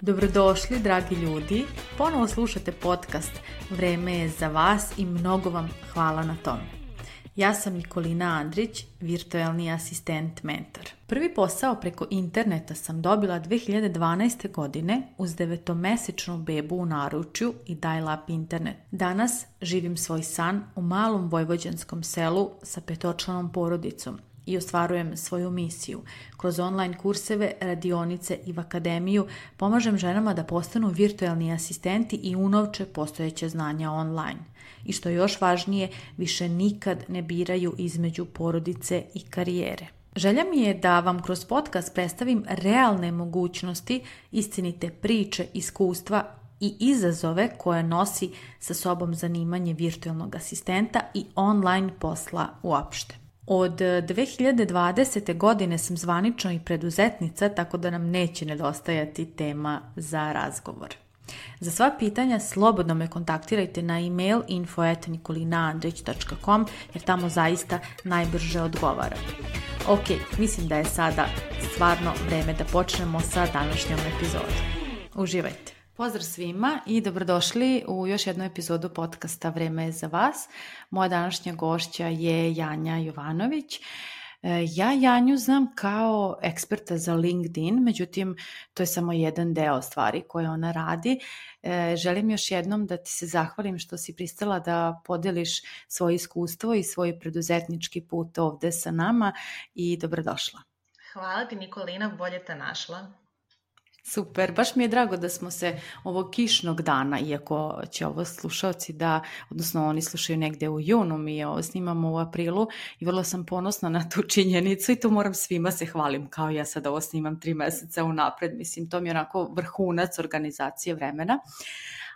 Dobrodošli, dragi ljudi. Ponovo slušate podcast Vreme je za vas i mnogo vam hvala na tom. Ja sam Nikolina Andrić, virtualni asistent mentor. Prvi posao preko interneta sam dobila 2012. godine uz 9-mesečnu bebu u naručju i dial-up internet. Danas živim svoj san u malom vojvođanskom selu sa 5-članom porodicom i ostvarujem svoju misiju. Kroz online kurseve, radionice i v akademiju pomažem ženama da postanu virtualni asistenti i unovče postojeće znanja online. I što je još važnije, više nikad ne biraju između porodice i karijere. Želja mi je da vam kroz podcast predstavim realne mogućnosti, istinite priče, iskustva i izazove koje nosi sa sobom zanimanje virtualnog asistenta i online posla uopšte. Od 2020. godine sam zvanično i preduzetnica, tako da nam neće nedostajati tema za razgovor. Za sva pitanja slobodno me kontaktirajte na email info@nikolinaandrić.com jer tamo zaista najbrže odgovaram. Ok, mislim da je sada stvarno vreme da počnemo sa današnjom epizodom. Uživajte! Pozdrav svima i dobrodošli u još jednu epizodu podcasta Vreme je za vas. Moja današnja gošća je Janja Jovanović. Ja Janju znam kao eksperta za LinkedIn, međutim to je samo jedan deo stvari koje ona radi. Želim još jednom da ti se zahvalim što si pristala da podeliš svoje iskustvo i svoj preduzetnički put ovde sa nama i dobrodošla. Hvala ti Nikolina, bolje te našla. Super, baš mi je drago da smo se ovog kišnog dana, iako će ovo slušalci odnosno oni slušaju negde u junu, mi ovo snimamo u aprilu i vrlo sam ponosna na tu činjenicu i tu moram svima se hvalim, kao ja sad ovo snimam 3 meseca unapred, mislim to mi je onako vrhunac organizacije vremena.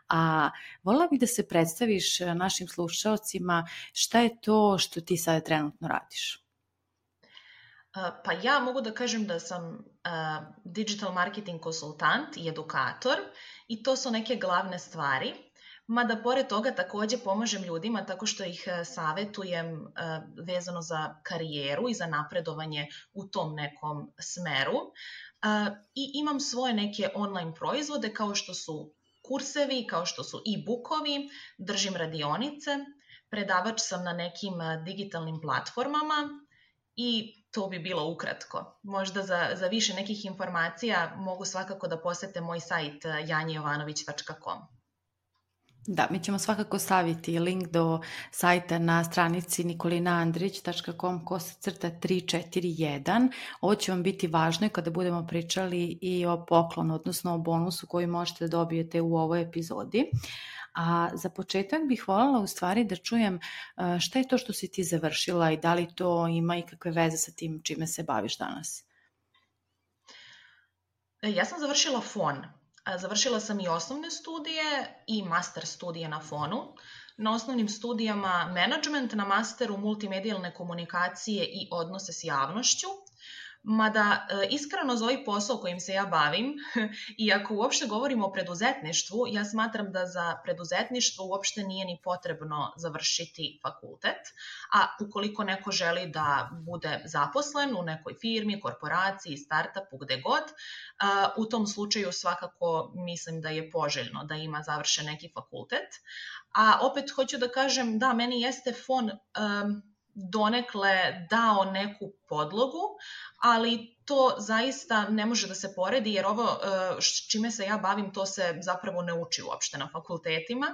A voljela bih da se predstaviš našim slušalcima šta je to što ti sada trenutno radiš. Pa ja mogu da kažem da sam digital marketing konsultant i edukator i to su neke glavne stvari, mada pored toga takođe pomažem ljudima tako što ih savetujem vezano za karijeru i za napredovanje u tom nekom smeru i imam svoje neke online proizvode kao što su kursevi, kao što su e-bookovi, držim radionice, predavač sam na nekim digitalnim platformama i to bi bilo ukratko. Možda za više nekih informacija mogu svakako da posete moj sajt janjejovanović.com. Da, mi ćemo svakako staviti link do sajta na stranici nikolinaandrić.com/341. Ovo će vam biti važno kada budemo pričali i o poklonu, odnosno o bonusu koji možete da dobijete u ovoj epizodi. A za početak bih voljela u stvari da čujem šta je to što si ti završila i da li to ima ikakve veze sa tim čime se baviš danas? Ja sam završila FON. Završila sam i osnovne studije i master studije na FON-u. Na osnovnim studijama management, na masteru multimedijalne komunikacije i odnose s javnošću. Mada iskreno za ovaj posao kojim se ja bavim, i ako uopšte govorimo o preduzetništvu, ja smatram da za preduzetništvo uopšte nije ni potrebno završiti fakultet, a ukoliko neko želi da bude zaposlen u nekoj firmi, korporaciji, startupu, gde god, u tom slučaju svakako mislim da je poželjno da ima završen neki fakultet. A opet hoću da kažem, da, meni jeste FON donekle dao neku podlogu, ali to zaista ne može da se poredi jer ovo čime se ja bavim to se zapravo ne uči uopšte na fakultetima.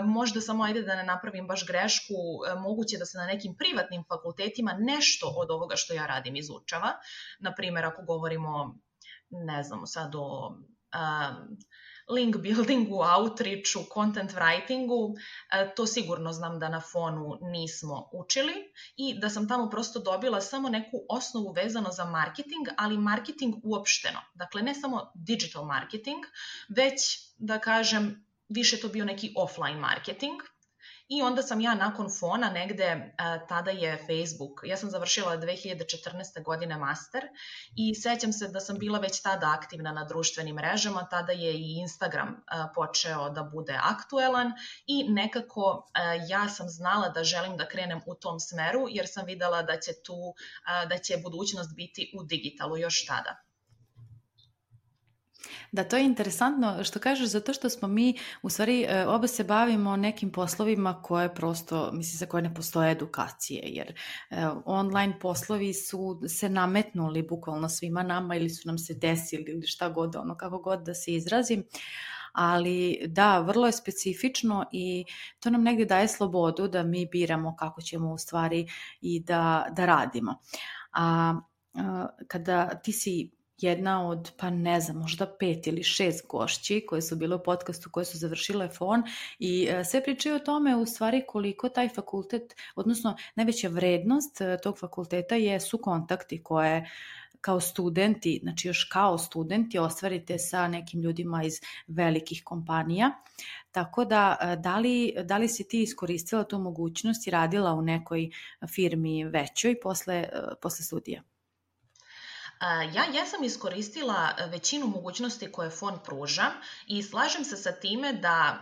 Možda samo ajde da ne napravim baš grešku, moguće da se na nekim privatnim fakultetima nešto od ovoga što ja radim izučava. Naprimjer, ako govorimo, ne znam, sad o link buildingu, outreachu, content writingu, to sigurno znam da na FON-u nismo učili i da sam tamo prosto dobila samo neku osnovu vezano za marketing, ali marketing uopšteno. Dakle, ne samo digital marketing, već da kažem više to bio neki offline marketing I onda sam ja nakon Fona negde, tada je Facebook, ja sam završila 2014. godine master i sećam se da sam bila već tada aktivna na društvenim mrežama, tada je i Instagram počeo da bude aktuelan i nekako ja sam znala da želim da krenem u tom smeru jer sam videla da će budućnost biti u digitalu još tada. Da, to je interesantno što kažeš, zato što smo mi, u stvari, oba se bavimo nekim poslovima koje prosto, mislim, za koje ne postoje edukacije, jer online poslovi su se nametnuli bukvalno svima nama ili su nam se desili ili šta god, kako god da se izrazim. Ali da, vrlo je specifično i to nam negdje daje slobodu da mi biramo kako ćemo u stvari i da radimo. A kada ti si jedna od, pa ne znam, možda 5 ili 6 gošći koje su bile u podcastu, koje su završile Fon i sve pričaju o tome u stvari koliko taj fakultet, odnosno najveća vrednost tog fakulteta su kontakti koje kao studenti, znači još kao studenti ostvarite sa nekim ljudima iz velikih kompanija. Tako da, da li si ti iskoristila tu mogućnost i radila u nekoj firmi većoj posle studija? Ja jesam iskoristila većinu mogućnosti koje Fon pruža i slažem se sa time da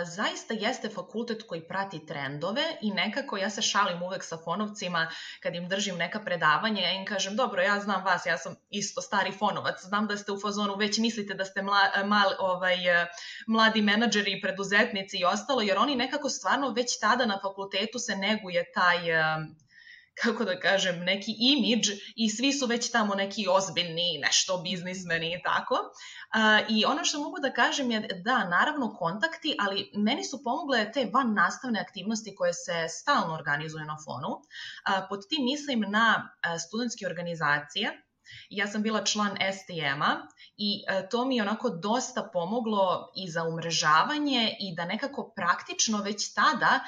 zaista jeste fakultet koji prati trendove i nekako ja se šalim uvek sa fonovcima kad im držim neka predavanja, ja im kažem, dobro, ja znam vas, ja sam isto stari fonovac, znam da ste u fazonu, već mislite da ste mladi menadžeri i preduzetnici i ostalo, jer oni nekako stvarno već tada na fakultetu se neguje taj kako da kažem, neki imidž i svi su već tamo neki ozbiljni, nešto biznismeni i tako. I ono što mogu da kažem je da, naravno kontakti, ali meni su pomogle te van nastavne aktivnosti koje se stalno organizuju na Fonu. Pod tim mislim na studentske organizacije. Ja sam bila član STM-a i to mi je onako dosta pomoglo i za umrežavanje i da nekako praktično već tada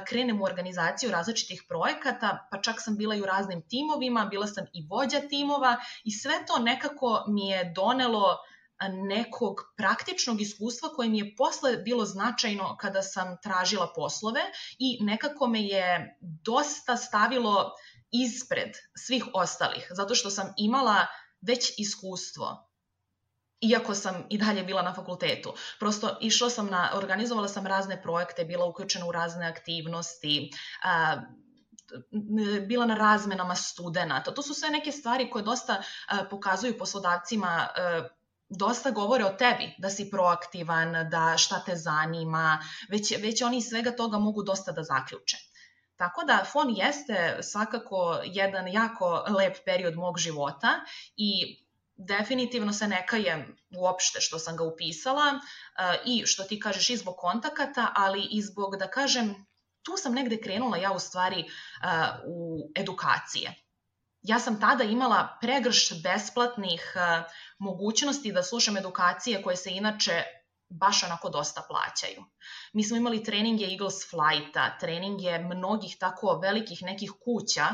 krenem u organizaciju različitih projekata, pa čak sam bila i u raznim timovima, bila sam i vođa timova i sve to nekako mi je donelo nekog praktičnog iskustva koje mi je posle bilo značajno kada sam tražila poslove i nekako me je dosta stavilo ispred svih ostalih, zato što sam imala već iskustvo, iako sam i dalje bila na fakultetu. Prosto organizovala sam razne projekte, bila uključena u razne aktivnosti, bila na razmenama studenata. To su sve neke stvari koje dosta pokazuju poslodavcima, dosta govore o tebi, da si proaktivan, da šta te zanima, već oni iz svega toga mogu dosta da zaključe. Tako da Fon jeste svakako jedan jako lep period mog života i definitivno se ne kajem uopšte što sam ga upisala i što ti kažeš i zbog kontakata, ali i zbog, da kažem, tu sam negde krenula ja u stvari u edukacije. Ja sam tada imala pregršt besplatnih mogućnosti da slušam edukacije koje se inače baš onako dosta plaćaju. Mi smo imali treninge Eagles Flighta, treninge mnogih tako velikih nekih kuća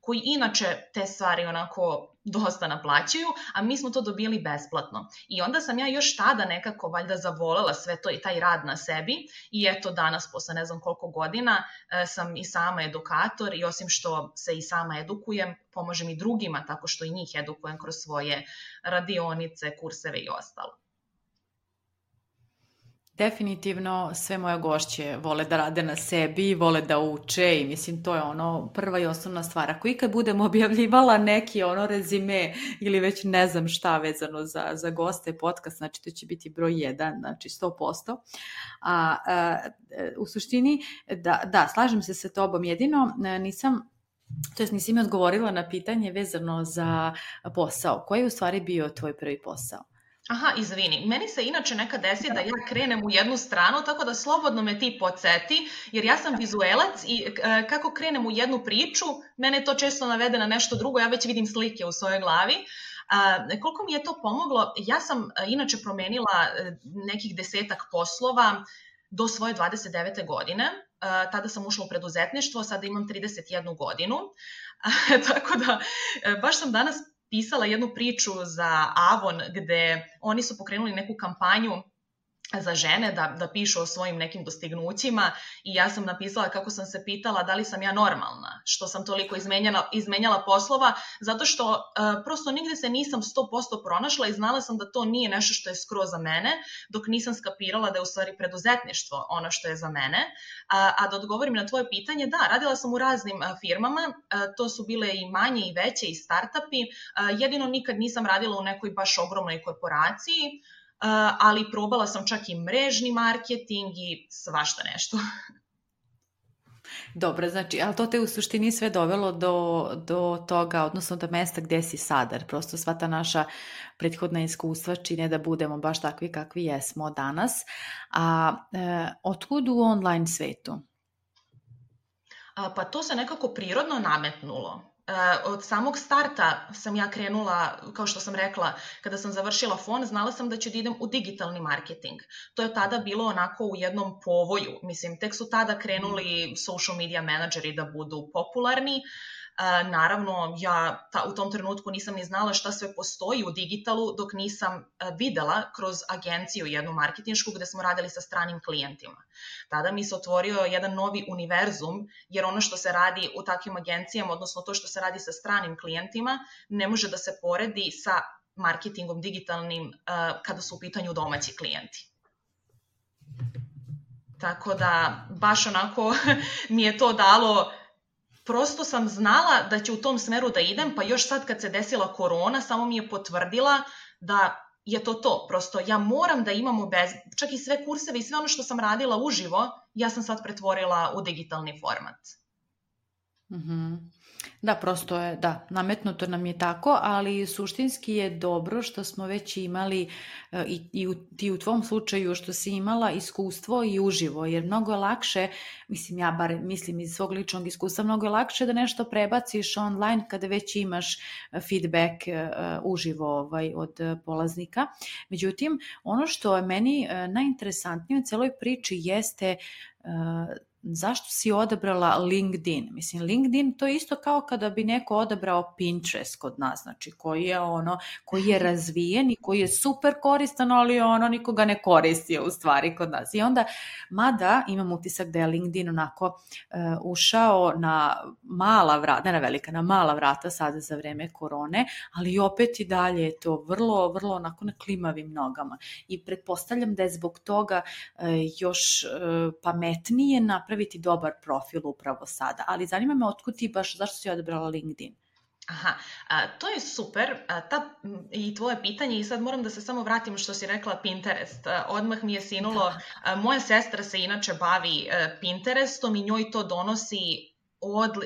koji inače te stvari onako dosta naplaćuju, a mi smo to dobili besplatno. I onda sam ja još tada nekako valjda zavolela sve to i taj rad na sebi i eto danas posle ne znam koliko godina sam i sama edukator i osim što se i sama edukujem, pomažem i drugima tako što i njih edukujem kroz svoje radionice, kurseve i ostalo. Definitivno sve moje gošće vole da rade na sebi, vole da uče i mislim to je ono prva i osnovna stvar. Ako ikad budem objavljivala neki rezime ili već ne znam šta vezano za goste podcast, znači to će biti broj 1, znači 100%. U suštini, da, slažem se sa tobom, jedino nisi mi odgovorila na pitanje vezano za posao. Koji je u stvari bio tvoj prvi posao? Aha, izvini. Meni se inače nekad desi da ja krenem u jednu stranu, tako da slobodno me ti podsjeti, jer ja sam vizuelac i kako krenem u jednu priču, mene to često navede na nešto drugo, ja već vidim slike u svojoj glavi. Koliko mi je to pomoglo, ja sam inače promenila nekih 10-ak poslova do svoje 29. godine. Tada sam ušla u preduzetništvo, sada imam 31 godinu, tako da baš sam danas pisala jednu priču za Avon gde oni su pokrenuli neku kampanju za žene da pišu o svojim nekim dostignućima i ja sam napisala kako sam se pitala da li sam ja normalna, što sam toliko izmenjala poslova, zato što prosto nigde se nisam 100% pronašla i znala sam da to nije nešto što je skroz za mene, dok nisam skapirala da je u stvari preduzetništvo ono što je za mene. A da odgovorim na tvoje pitanje, da, radila sam u raznim firmama, to su bile i manje i veće i startupi, jedino nikad nisam radila u nekoj baš ogromnoj korporaciji, ali probala sam čak i mrežni marketing i svašta nešto. Dobro, znači, ali to te u suštini sve dovelo do toga, odnosno do mesta gde si sada, jer prosto sva ta naša prethodna iskustva čine da budemo baš takvi kakvi jesmo danas. A otkud u online svetu? Pa to se nekako prirodno nametnulo. Od samog starta sam ja krenula, kao što sam rekla, kada sam završila FON, znala sam da ću da idem u digitalni marketing. To je tada bilo onako u jednom povoju. Mislim, tek su tada krenuli social media menadžeri da budu popularni. Naravno, ja u tom trenutku nisam ni znala šta sve postoji u digitalu dok nisam videla kroz agenciju jednu marketinšku gde smo radili sa stranim klijentima. Tada mi se otvorio jedan novi univerzum, jer ono što se radi u takvim agencijama, odnosno to što se radi sa stranim klijentima, ne može da se poredi sa marketingom digitalnim kada su u pitanju domaći klijenti. Tako da, baš onako mi je to dalo. Prosto sam znala da će u tom smeru da idem, pa još sad kad se desila korona, samo mi je potvrdila da je to. Prosto ja moram da imamo čak i sve kurseve i sve ono što sam radila uživo, ja sam sad pretvorila u digitalni format. Mm-hmm. Da, prosto je, da, nametnuto nam je tako, ali suštinski je dobro što smo već imali i u tvom slučaju što si imala iskustvo i uživo, jer mnogo je lakše, mislim ja bar mislim iz svog ličnog iskustva, mnogo je lakše da nešto prebaciš online kada već imaš feedback uživo od polaznika. Međutim, ono što je meni najinteresantnije u celoj priči jeste zašto si odabrala LinkedIn? Mislim, LinkedIn to je isto kao kada bi neko odabrao Pinterest kod nas, znači koji je razvijen i koji je super koristan, ali nikoga ne koristi u stvari kod nas. I onda, mada imam utisak da je LinkedIn onako ušao na mala vrata, ne na velika, na mala vrata sada za vreme korone, ali opet i dalje je to vrlo, vrlo onako na klimavim nogama. I pretpostavljam da je zbog toga još pametnije napraviti dobar profil upravo sada. Ali zanima me otkud ti baš, zašto si odabrala LinkedIn? Aha, to je super i tvoje pitanje i sad moram da se samo vratim što si rekla Pinterest. Odmah mi je sinulo, moja sestra se inače bavi Pinterestom i njoj to donosi,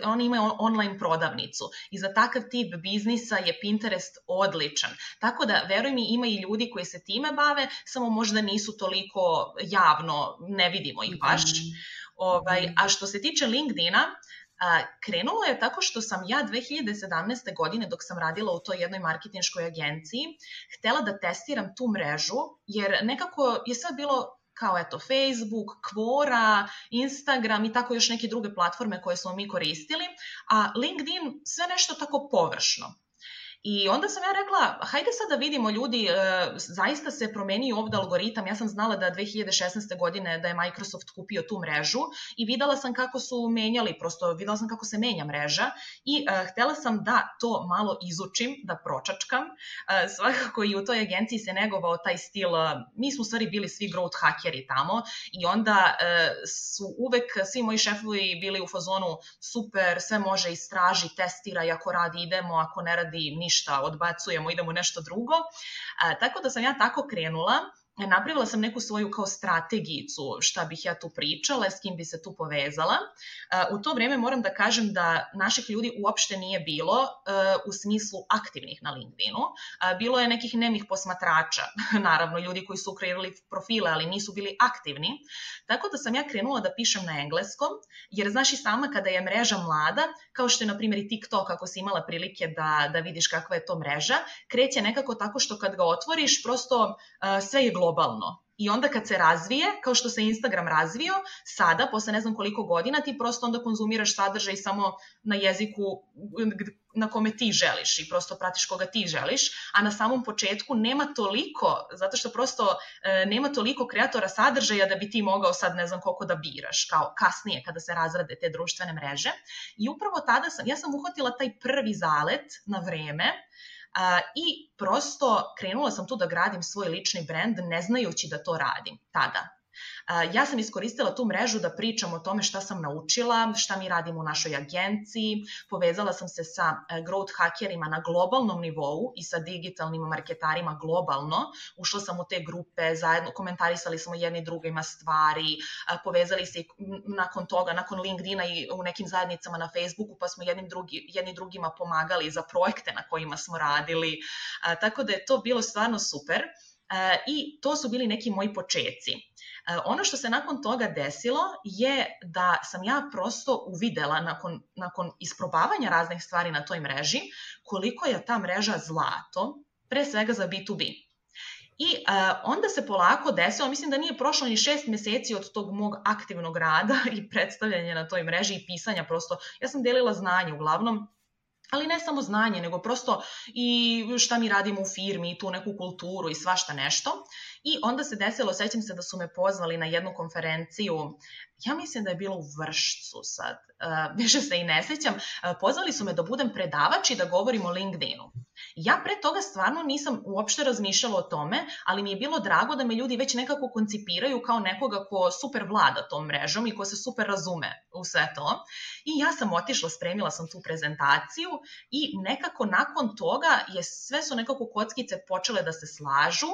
oni imaju online prodavnicu i za takav tip biznisa je Pinterest odličan. Tako da, veruj mi, ima i ljudi koji se time bave, samo možda nisu toliko javno, ne vidimo ih baš. A što se tiče LinkedIna, krenulo je tako što sam ja 2017. godine, dok sam radila u toj jednoj marketinškoj agenciji, htela da testiram tu mrežu, jer nekako je sve bilo kao Facebook, Quora, Instagram i tako još neke druge platforme koje smo mi koristili, a LinkedIn sve nešto tako površno. I onda sam ja rekla, hajde sad da vidimo ljudi, zaista se promenio ovdje algoritam, ja sam znala da 2016. godine da je Microsoft kupio tu mrežu i videla sam kako su menjali, prosto videla sam kako se menja mreža i htela sam da to malo izučim, da pročačkam. Svakako i u toj agenciji se negovao taj stil, mi smo u stvari bili svi growth hackeri tamo i onda su uvek svi moji šefovi bili u fazonu super, sve može istraži, testiraj, ako radi idemo, ako ne radi ništa, odbacujemo, idemo nešto drugo. Tako da sam ja tako krenula. Napravila sam neku svoju kao strategijicu šta bih ja tu pričala, s kim bi se tu povezala. U to vreme moram da kažem da naših ljudi uopšte nije bilo u smislu aktivnih na LinkedInu. Bilo je nekih nemih posmatrača, naravno ljudi koji su kreirali profile, ali nisu bili aktivni. Tako da sam ja krenula da pišem na engleskom, jer znaš i sama kada je mreža mlada, kao što je na primjer i TikTok, ako si imala prilike da vidiš kakva je to mreža, kreće nekako tako što kad ga otvoriš, prosto sve je globalno. globalno. I onda kad se razvije, kao što se Instagram razvio, sada, posle ne znam koliko godina, ti prosto onda konzumiraš sadržaj samo na jeziku na kome ti želiš i prosto pratiš koga ti želiš, a na samom početku nema toliko, zato što prosto nema toliko kreatora sadržaja da bi ti mogao sad ne znam koliko da biraš, kao kasnije kada se razrade te društvene mreže. I upravo tada ja sam uhvatila taj prvi zalet na vreme, i prosto krenula sam tu da gradim svoj lični brend ne znajući da to radim tada. Ja sam iskoristila tu mrežu da pričam o tome šta sam naučila, šta mi radimo u našoj agenciji, povezala sam se sa growth hackerima na globalnom nivou i sa digitalnim marketarima globalno, ušla sam u te grupe, zajedno komentarisali smo jedni drugima stvari, povezali se nakon toga, nakon LinkedIna i u nekim zajednicama na Facebooku, pa smo jedni drugima pomagali za projekte na kojima smo radili, tako da je to bilo stvarno super i to su bili neki moji počeci. Ono što se nakon toga desilo je da sam ja prosto uvidela nakon isprobavanja raznih stvari na toj mreži koliko je ta mreža zlato, pre svega za B2B. I onda se polako desilo, mislim da nije prošlo ni 6 meseci od tog mog aktivnog rada i predstavljanja na toj mreži i pisanja prosto. Ja sam delila znanje uglavnom, ali ne samo znanje, nego prosto i šta mi radimo u firmi, i tu neku kulturu i svašta nešto. I onda se desilo, sećam se da su me pozvali na jednu konferenciju, ja mislim da je bilo u Vršcu sad, više se i ne sećam, pozvali su me da budem predavač i da govorim o LinkedInu. Ja pre toga stvarno nisam uopšte razmišljala o tome, ali mi je bilo drago da me ljudi već nekako koncipiraju kao nekoga ko super vlada tom mrežom i ko se super razume u sve to. I ja sam otišla, spremila sam tu prezentaciju i nekako nakon toga sve su nekako kockice počele da se slažu,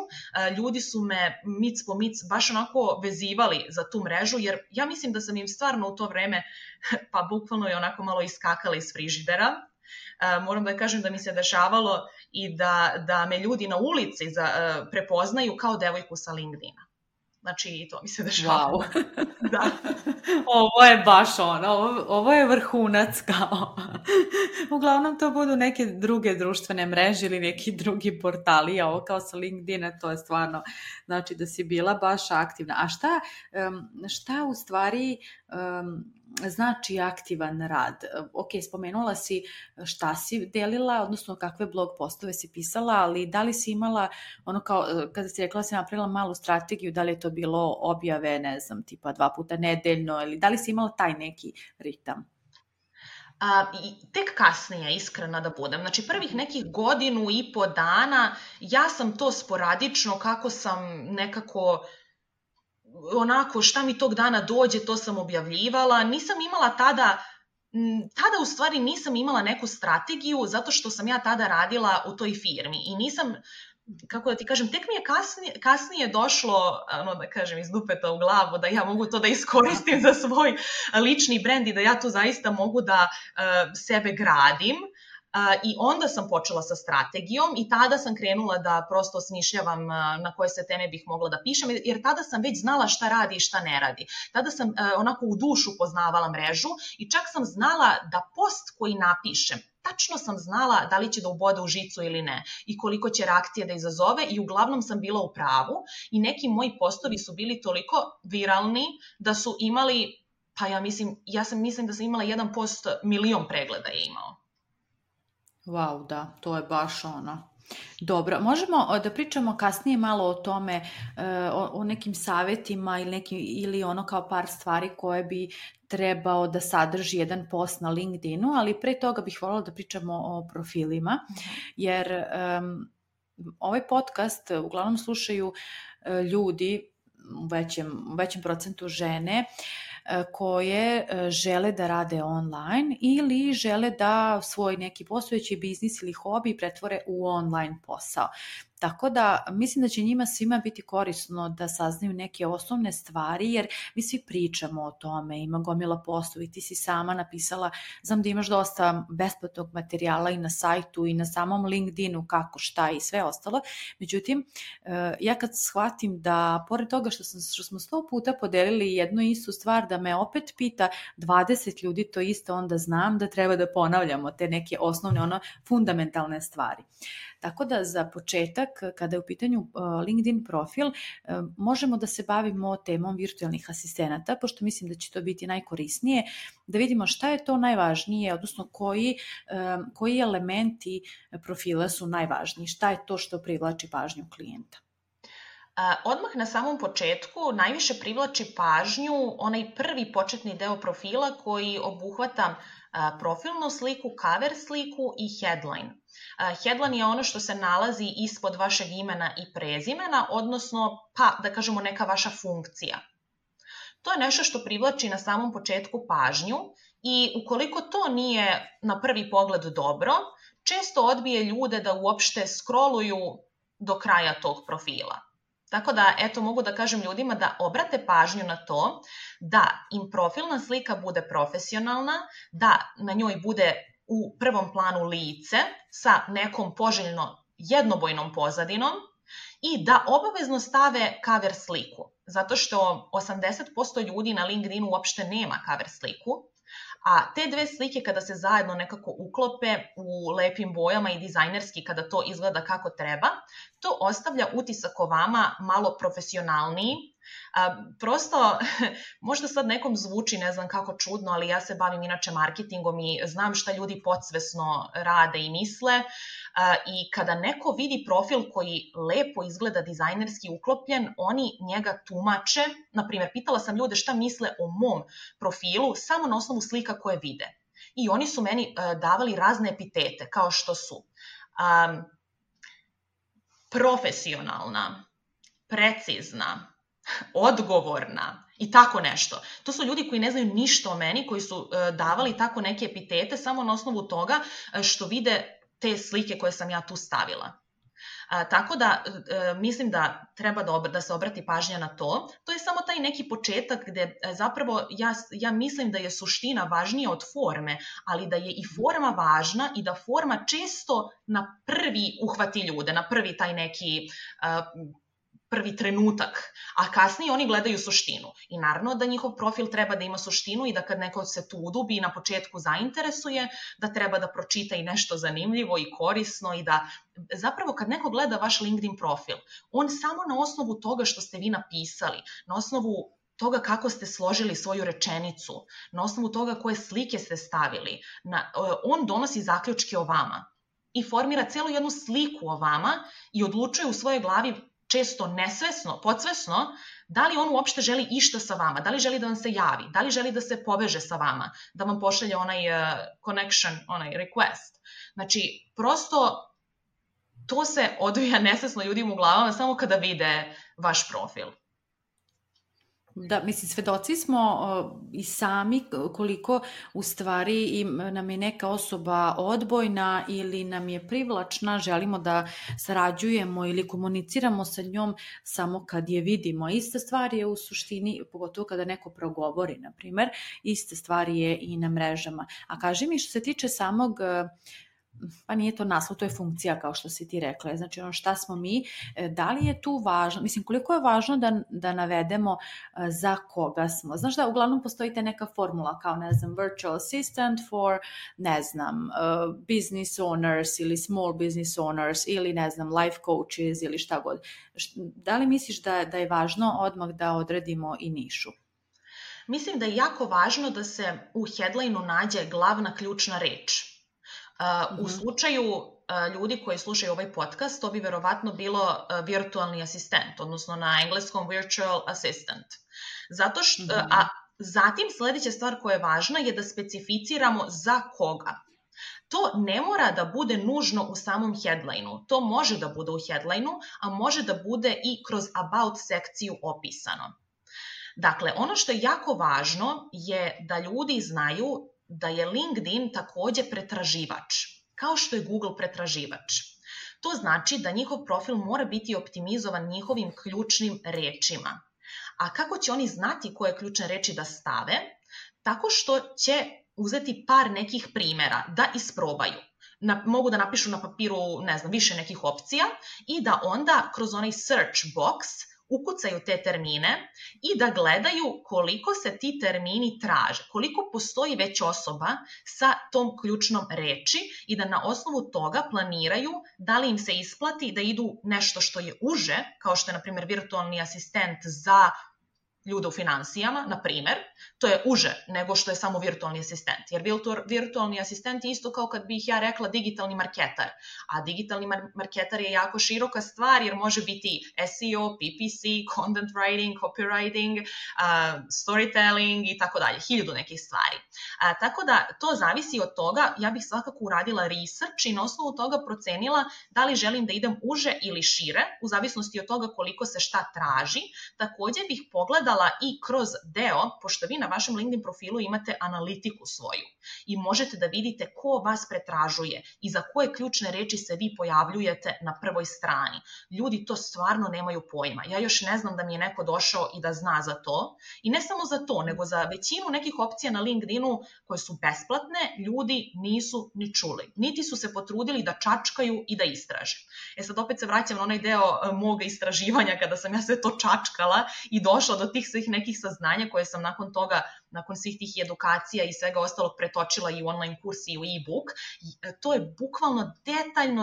ljudi su me mic po mic baš onako vezivali za tu mrežu, jer ja mislim da sam im stvarno u to vreme pa bukvalno je onako malo iskakala iz frižidera. Moram da kažem da mi se dešavalo i da me ljudi na ulici prepoznaju kao devojku sa LinkedIna. Znači i to mi se dešavalo. Wow. Da. Ovo je baš ovo je vrhunac kao. Uglavnom to budu neke druge društvene mreže ili neki drugi portali, a ovo kao sa LinkedIna to je stvarno, znači da si bila baš aktivna. A šta u stvari znači aktivan rad? Ok, spomenula si šta si delila, odnosno kakve blog postove si pisala, ali da li si imala ono kao, kada si rekla si napravila malu strategiju, da li je to bilo objave, ne znam, tipa 2 puta nedeljno, ili da li si imala taj neki ritam? Tek kasnije, iskrena da budem. Znači prvih nekih 1.5 godina ja sam to sporadično, kako sam nekako onako šta mi tog dana dođe, to sam objavljivala. Nisam imala tada u stvari nisam imala neku strategiju zato što sam ja tada radila u toj firmi i nisam, kako da ti kažem, tek mi je kasnije došlo, da kažem, iz dupeta u glavu da ja mogu to da iskoristim za svoj lični brend i da ja tu zaista mogu da sebe gradim. I onda sam počela sa strategijom i tada sam krenula da prosto smišljavam na koje se teme bih mogla da pišem, jer tada sam već znala šta radi i šta ne radi. Tada sam onako u dušu poznavala mrežu i čak sam znala da post koji napišem, tačno sam znala da li će da ubode u žicu ili ne i koliko će reakcije da izazove i uglavnom sam bila u pravu i neki moji postovi su bili toliko viralni da su imali, pa ja mislim da sam imala jedan post 1.000.000 pregleda je imao. Wow, da, to je baš Dobro, možemo da pričamo kasnije malo o tome, o nekim savjetima ili kao par stvari koje bi trebao da sadrži jedan post na LinkedInu, ali pre toga bih voljela da pričamo o profilima, jer ovaj podcast uglavnom slušaju ljudi, u većem procentu žene, koje žele da rade online ili žele da svoj neki postojeći biznis ili hobi pretvore u online posao. Tako da mislim da će njima svima biti korisno da saznaju neke osnovne stvari, jer mi svi pričamo o tome, ima gomila postova i ti si sama napisala, znam da imaš dosta besplatnog materijala i na sajtu i na samom LinkedInu, kako, šta i sve ostalo. Međutim, ja kad shvatim da pored toga što smo 100 puta podelili jednu istu stvar, da me opet pita 20 ljudi to isto, onda znam da treba da ponavljamo te neke osnovne, fundamentalne stvari. Tako da za početak početak, kada je u pitanju LinkedIn profil, možemo da se bavimo temom virtualnih asistenata, pošto mislim da će to biti najkorisnije, da vidimo šta je to najvažnije, odnosno koji elementi profila su najvažniji, šta je to što privlači pažnju klijenta. Odmah na samom početku najviše privlači pažnju onaj prvi početni deo profila koji obuhvata profilnu sliku, cover sliku i headline. Headline je ono što se nalazi ispod vašeg imena i prezimena, odnosno, da kažemo, neka vaša funkcija. To je nešto što privlači na samom početku pažnju i ukoliko to nije na prvi pogled dobro, često odbije ljude da uopšte scrolluju do kraja tog profila. Tako da, mogu da kažem ljudima da obrate pažnju na to da im profilna slika bude profesionalna, da na njoj bude u prvom planu lice sa nekom poželjno jednobojnom pozadinom i da obavezno stave cover sliku, zato što 80% ljudi na LinkedInu uopšte nema cover sliku, a te dve slike kada se zajedno nekako uklope u lepim bojama i dizajnerski kada to izgleda kako treba, to ostavlja utisak o vama malo profesionalniji. Prosto, možda sad nekom zvuči, ne znam kako čudno, ali ja se bavim inače marketingom i znam šta ljudi podsvesno rade i misle i kada neko vidi profil koji lepo izgleda dizajnerski uklopljen, oni njega tumače. Naprimjer, pitala sam ljude šta misle o mom profilu samo na osnovu slika koje vide. I oni su meni davali razne epitete, kao što su profesionalna, precizna, odgovorna i tako nešto. To su ljudi koji ne znaju ništa o meni, koji su davali tako neke epitete samo na osnovu toga što vide te slike koje sam ja tu stavila. Tako da mislim da treba da se obrati pažnja na to. To je samo taj neki početak gde zapravo ja mislim da je suština važnija od forme, ali da je i forma važna i da forma često na prvi uhvati ljude, na prvi taj neki prvi trenutak, a kasnije oni gledaju suštinu. I naravno da njihov profil treba da ima suštinu i da kad neko se tu udubi i na početku zainteresuje, da treba da pročita i nešto zanimljivo i korisno i da zapravo kad neko gleda vaš LinkedIn profil, on samo na osnovu toga što ste vi napisali, na osnovu toga kako ste složili svoju rečenicu, na osnovu toga koje slike ste stavili, on donosi zaključke o vama i formira celu jednu sliku o vama i odlučuje u svojoj glavi često nesvesno, podsvesno, da li on uopšte želi išta sa vama, da li želi da vam se javi, da li želi da se poveže sa vama, da vam pošalje onaj connection, onaj request. Znači, prosto to se odvija nesvesno ljudima u glavama samo kada vide vaš profil. Da, mislim, svedoci smo i sami koliko u stvari nam je neka osoba odbojna ili nam je privlačna, želimo da sarađujemo ili komuniciramo sa njom samo kad je vidimo. Ista stvar je u suštini, pogotovo kada neko progovori, na primer, ista stvar je i na mrežama. A kaži mi, što se tiče samog, pa nije to naslov, to je funkcija kao što si ti rekla, znači ono šta smo mi, da li je tu važno, mislim koliko je važno da navedemo za koga smo, znaš da uglavnom postoji ta neka formula kao ne znam virtual assistant for ne znam business owners ili small business owners ili ne znam life coaches ili šta god, da li misliš da je važno odmah da odredimo i nišu? Mislim da je jako važno da se u headline-u nađe glavna ključna reč. U slučaju ljudi koji slušaju ovaj podcast, to bi verovatno bilo virtualni asistent, odnosno na engleskom virtual assistant. Zato što, a zatim sledeća stvar koja je važna je da specificiramo za koga. To ne mora da bude nužno u samom headline-u. To može da bude u headline-u, a može da bude i kroz about sekciju opisano. Dakle, ono što je jako važno je da ljudi znaju da je LinkedIn takođe pretraživač, kao što je Google pretraživač. To znači da njihov profil mora biti optimizovan njihovim ključnim rečima. A kako će oni znati koje ključne reči da stave? Tako što će uzeti par nekih primera da isprobaju. Mogu da napišu na papiru, ne znam, više nekih opcija i da onda kroz onaj search box ukucaju te termine i da gledaju koliko se ti termini traže, koliko postoji već osoba sa tom ključnom reči i da na osnovu toga planiraju da li im se isplati da idu nešto što je uže, kao što je, na primjer, virtualni asistent za ljude u finansijama, na primjer, to je uže nego što je samo virtualni asistent. Jer virtualni asistent je isto kao kad bih ja rekla digitalni marketar. A digitalni marketar je jako široka stvar jer može biti SEO, PPC, content writing, copywriting, storytelling i tako dalje. 1000 nekih stvari. Tako da to zavisi od toga. Ja bih svakako uradila research i na osnovu toga procenila da li želim da idem uže ili šire, u zavisnosti od toga koliko se šta traži. Također bih pogledala i kroz deo, pošto vi na vašem LinkedIn profilu imate analitiku svoju i možete da vidite ko vas pretražuje i za koje ključne reči se vi pojavljujete na prvoj strani. Ljudi to stvarno nemaju pojma. Ja još ne znam da mi je neko došao i da zna za to. I ne samo za to, nego za većinu nekih opcija na LinkedInu koje su besplatne, ljudi nisu ni čuli. Niti su se potrudili da čačkaju i da istraže. Sad opet se vraćam na onaj deo moga istraživanja kada sam ja sve to čačkala i došla do tih svih nekih saznanja koje sam nakon toga, nakon svih tih edukacija i svega ostalog pretočila i u online kurs i u e-book. To je bukvalno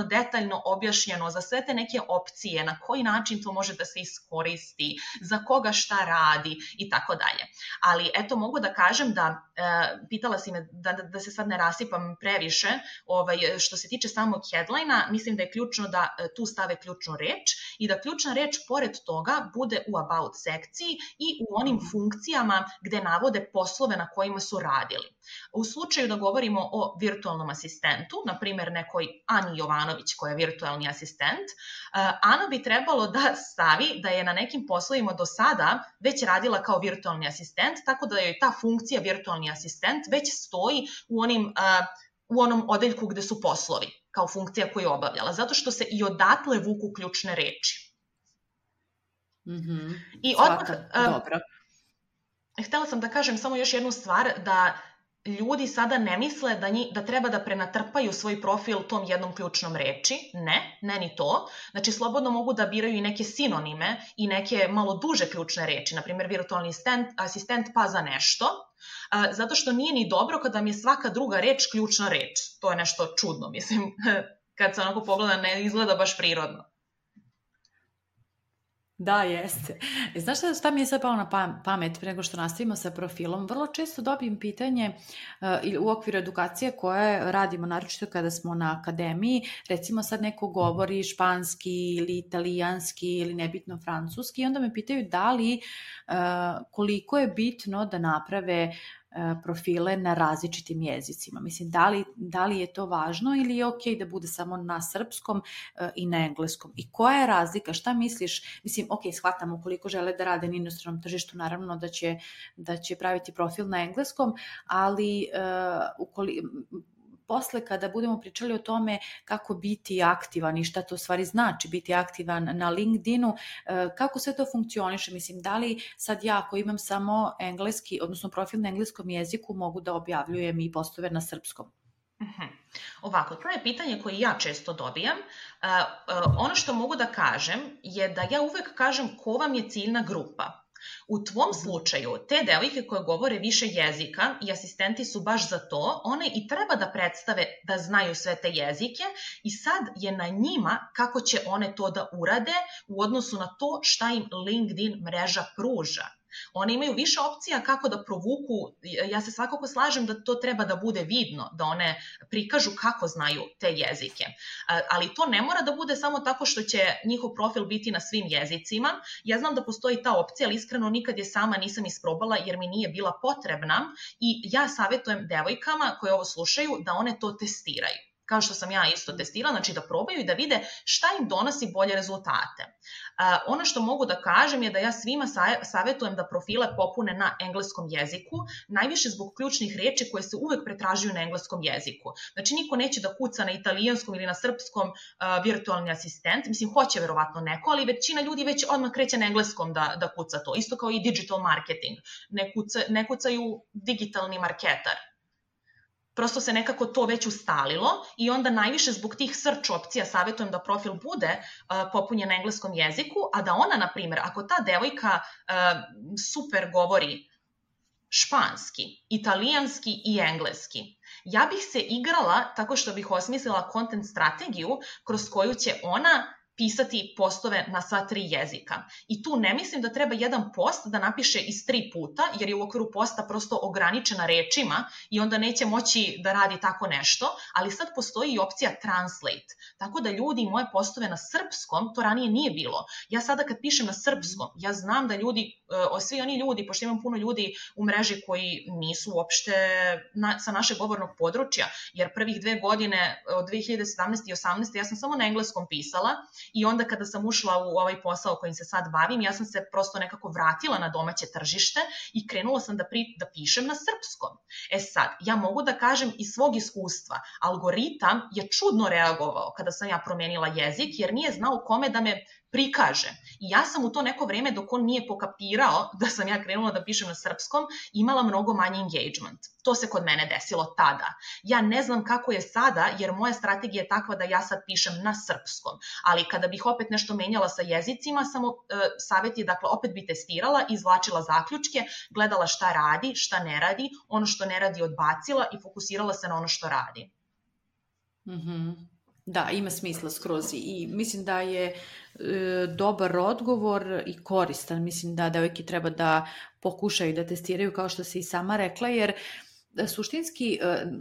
detaljno objašnjeno za sve te neke opcije, na koji način to može da se iskoristi, za koga šta radi i tako dalje. Ali eto, mogu da kažem da, pitala si me da se sad ne rasipam previše, što se tiče samog headline-a, mislim da je ključno da tu stave ključnu reč i da ključna reč pored toga bude u about sekciji i u onim funkcijama gde navode poslove na kojima su radili. U slučaju da govorimo o virtualnom asistentu, na primjer nekoj Ani Jovanović koja je virtualni asistent, Ana bi trebalo da stavi da je na nekim poslovima do sada već radila kao virtualni asistent, tako da joj ta funkcija virtualni asistent već stoji u onom odeljku gde su poslovi, kao funkcija koju je obavljala, zato što se i odatle vuku ključne reči. I odmah, dobro. Htela sam da kažem samo još jednu stvar, da ljudi sada ne misle da treba da prenatrpaju svoj profil tom jednom ključnom reči. Ne ni to. Znači, slobodno mogu da biraju i neke sinonime i neke malo duže ključne reči, na primjer virtualni asistent pa za nešto, zato što nije ni dobro kada mi je svaka druga reč ključna reč. To je nešto čudno, mislim, kad se onako pogleda ne izgleda baš prirodno. Da, jeste. Znaš šta mi je sad palo na pamet pre nego što nastavimo sa profilom? Vrlo često dobijem pitanje u okviru edukacije koje radimo, naročito kada smo na akademiji, recimo sad neko govori španski ili italijanski ili nebitno francuski i onda me pitaju da li, koliko je bitno da naprave profile na različitim jezicima. Mislim, da li je to važno ili je okej da bude samo na srpskom i na engleskom? I koja je razlika? Šta misliš? Mislim, shvatam ukoliko žele da rade na inostranom tržištu, naravno da će praviti profil na engleskom, ali posle kada budemo pričali o tome kako biti aktivan i šta to u stvari znači biti aktivan na LinkedInu, kako sve to funkcioniše, mislim, da li sad ja ako imam samo engleski, odnosno profil na engleskom jeziku, mogu da objavljujem i postove na srpskom? Ovako, to je pitanje koje ja često dobijam. Ono što mogu da kažem je da ja uvek kažem ko vam je ciljna grupa. U tvom slučaju, te devojke koje govore više jezika i asistenti su baš za to, one i treba da predstave da znaju sve te jezike i sad je na njima kako će one to da urade u odnosu na to šta im LinkedIn mreža pruža. One imaju više opcija kako da provuku, ja se svakako slažem da to treba da bude vidno, da one prikažu kako znaju te jezike. Ali to ne mora da bude samo tako što će njihov profil biti na svim jezicima. Ja znam da postoji ta opcija, ali iskreno nikad je sama nisam isprobala jer mi nije bila potrebna i ja savjetujem devojkama koje ovo slušaju da one to testiraju. Kao što sam ja isto testirala, znači da probaju i da vide šta im donosi bolje rezultate. Ono što mogu da kažem je da ja svima savjetujem da profile popune na engleskom jeziku, najviše zbog ključnih reči koje se uvek pretražuju na engleskom jeziku. Znači niko neće da kuca na italijanskom ili na srpskom virtualni asistent, mislim hoće verovatno neko, ali većina ljudi već odmah kreće na engleskom da kuca to, isto kao i digital marketing, ne kucaju digitalni marketar. prosto se nekako to već ustalilo i onda najviše zbog tih search opcija savjetujem da profil bude popunjen na engleskom jeziku, a da ona, na primjer, ako ta devojka super govori španski, italijanski i engleski, ja bih se igrala tako što bih osmislila content strategiju kroz koju će ona pisati postove na sva 3 jezika. I tu ne mislim da treba jedan post da napiše iz 3 puta, jer je u okviru posta prosto ograničena rečima i onda neće moći da radi tako nešto, ali sad postoji i opcija translate. Tako da ljudi moje postove na srpskom, to ranije nije bilo. Ja sada kad pišem na srpskom, ja znam da ljudi, svi oni ljudi, pošto imam puno ljudi u mreži koji nisu uopšte sa našeg govornog područja, jer prvih 2 godine od 2017. i 2018. ja sam samo na engleskom pisala. I onda kada sam ušla u ovaj posao kojim se sad bavim, ja sam se prosto nekako vratila na domaće tržište i krenula sam da pišem na srpskom. Sad, ja mogu da kažem iz svog iskustva, algoritam je čudno reagovao kada sam ja promenila jezik, jer nije znao kome da me prikaže. I ja sam u to neko vreme, dok on nije pokapirao da sam ja krenula da pišem na srpskom, imala mnogo manji engagement. To se kod mene desilo tada. Ja ne znam kako je sada, jer moja strategija je takva da ja sad pišem na srpskom. Ali kada bih opet nešto menjala sa jezicima, samo savjet je, dakle, opet bi testirala, izvlačila zaključke, gledala šta radi, šta ne radi, ono što ne radi odbacila i fokusirala se na ono što radi. Da, ima smisla skroz i mislim da je dobar odgovor i koristan. Mislim da devojke treba da pokušaju da testiraju, kao što si i sama rekla, jer suštinski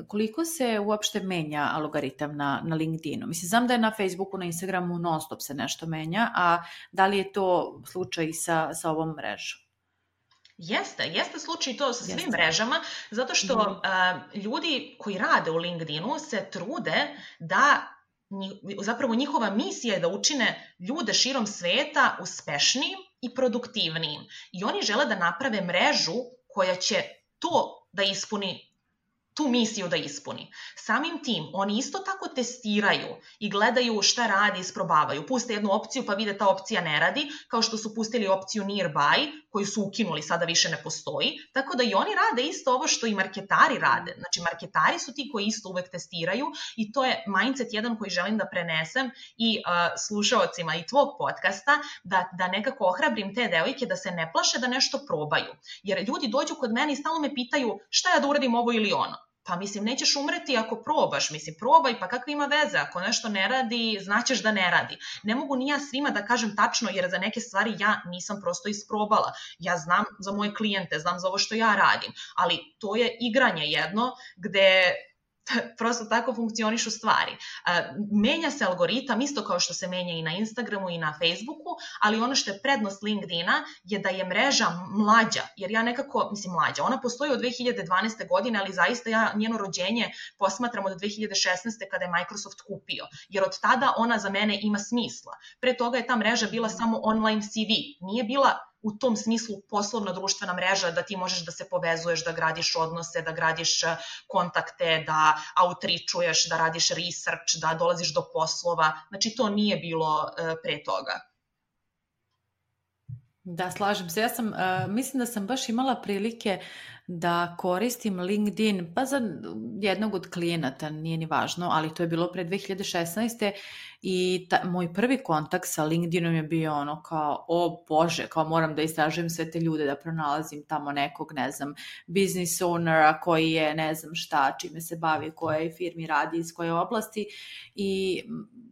koliko se uopšte menja algoritam na LinkedInu? Mislim, znam da je na Facebooku, na Instagramu non stop se nešto menja, a da li je to slučaj sa ovom mrežom? Jeste slučaj to sa svim mrežama, zato što ljudi koji rade u LinkedInu se trude da, zapravo njihova misija je da učine ljude širom sveta uspešnijim i produktivnijim. I oni žele da naprave mrežu koja će to da ispuni, tu misiju da ispuni. Samim tim, oni isto tako testiraju i gledaju šta radi, isprobavaju. Puste jednu opciju pa vide ta opcija ne radi, kao što su pustili opciju nearby, koju su ukinuli, sada više ne postoji. Tako da i oni rade isto ovo što i marketari rade. Znači, marketari su ti koji isto uvek testiraju i to je mindset jedan koji želim da prenesem i slušaocima i tvog podcasta, da nekako ohrabrim te devojke da se ne plaše da nešto probaju. Jer ljudi dođu kod mene i stalno me pitaju šta ja da uradim ovo ili ono. Pa mislim, nećeš umreti ako probaš, mislim, probaj, pa kakve ima veze, ako nešto ne radi, znaćeš da ne radi. Ne mogu ni ja svima da kažem tačno, jer za neke stvari ja nisam prosto isprobala. Ja znam za moje klijente, znam za ovo što ja radim, ali to je igranje jedno gde prosto tako funkcionišu stvari. Menja se algoritam isto kao što se menja i na Instagramu i na Facebooku, ali ono što je prednost LinkedIna je da je mreža mlađa, jer ja nekako, mislim mlađa, ona postoji od 2012. godine, ali zaista ja njeno rođenje posmatram od 2016. kada je Microsoft kupio, jer od tada ona za mene ima smisla. Pre toga je ta mreža bila samo online CV, nije bila u tom smislu poslovna društvena mreža da ti možeš da se povezuješ, da gradiš odnose, da gradiš kontakte, da outreachuješ, da radiš research, da dolaziš do poslova. Znači, to nije bilo pre toga. Da, slažem se. Ja mislim da sam baš imala prilike da koristim LinkedIn, pa za jednog od klijenata, nije ni važno, ali to je bilo pre 2016. I moj prvi kontakt sa LinkedInom je bio ono kao, o Bože, kao moram da istražujem sve te ljude, da pronalazim tamo nekog, ne znam, business ownera koji je, ne znam šta, čime se bavi, koje firmi radi, iz koje oblasti. I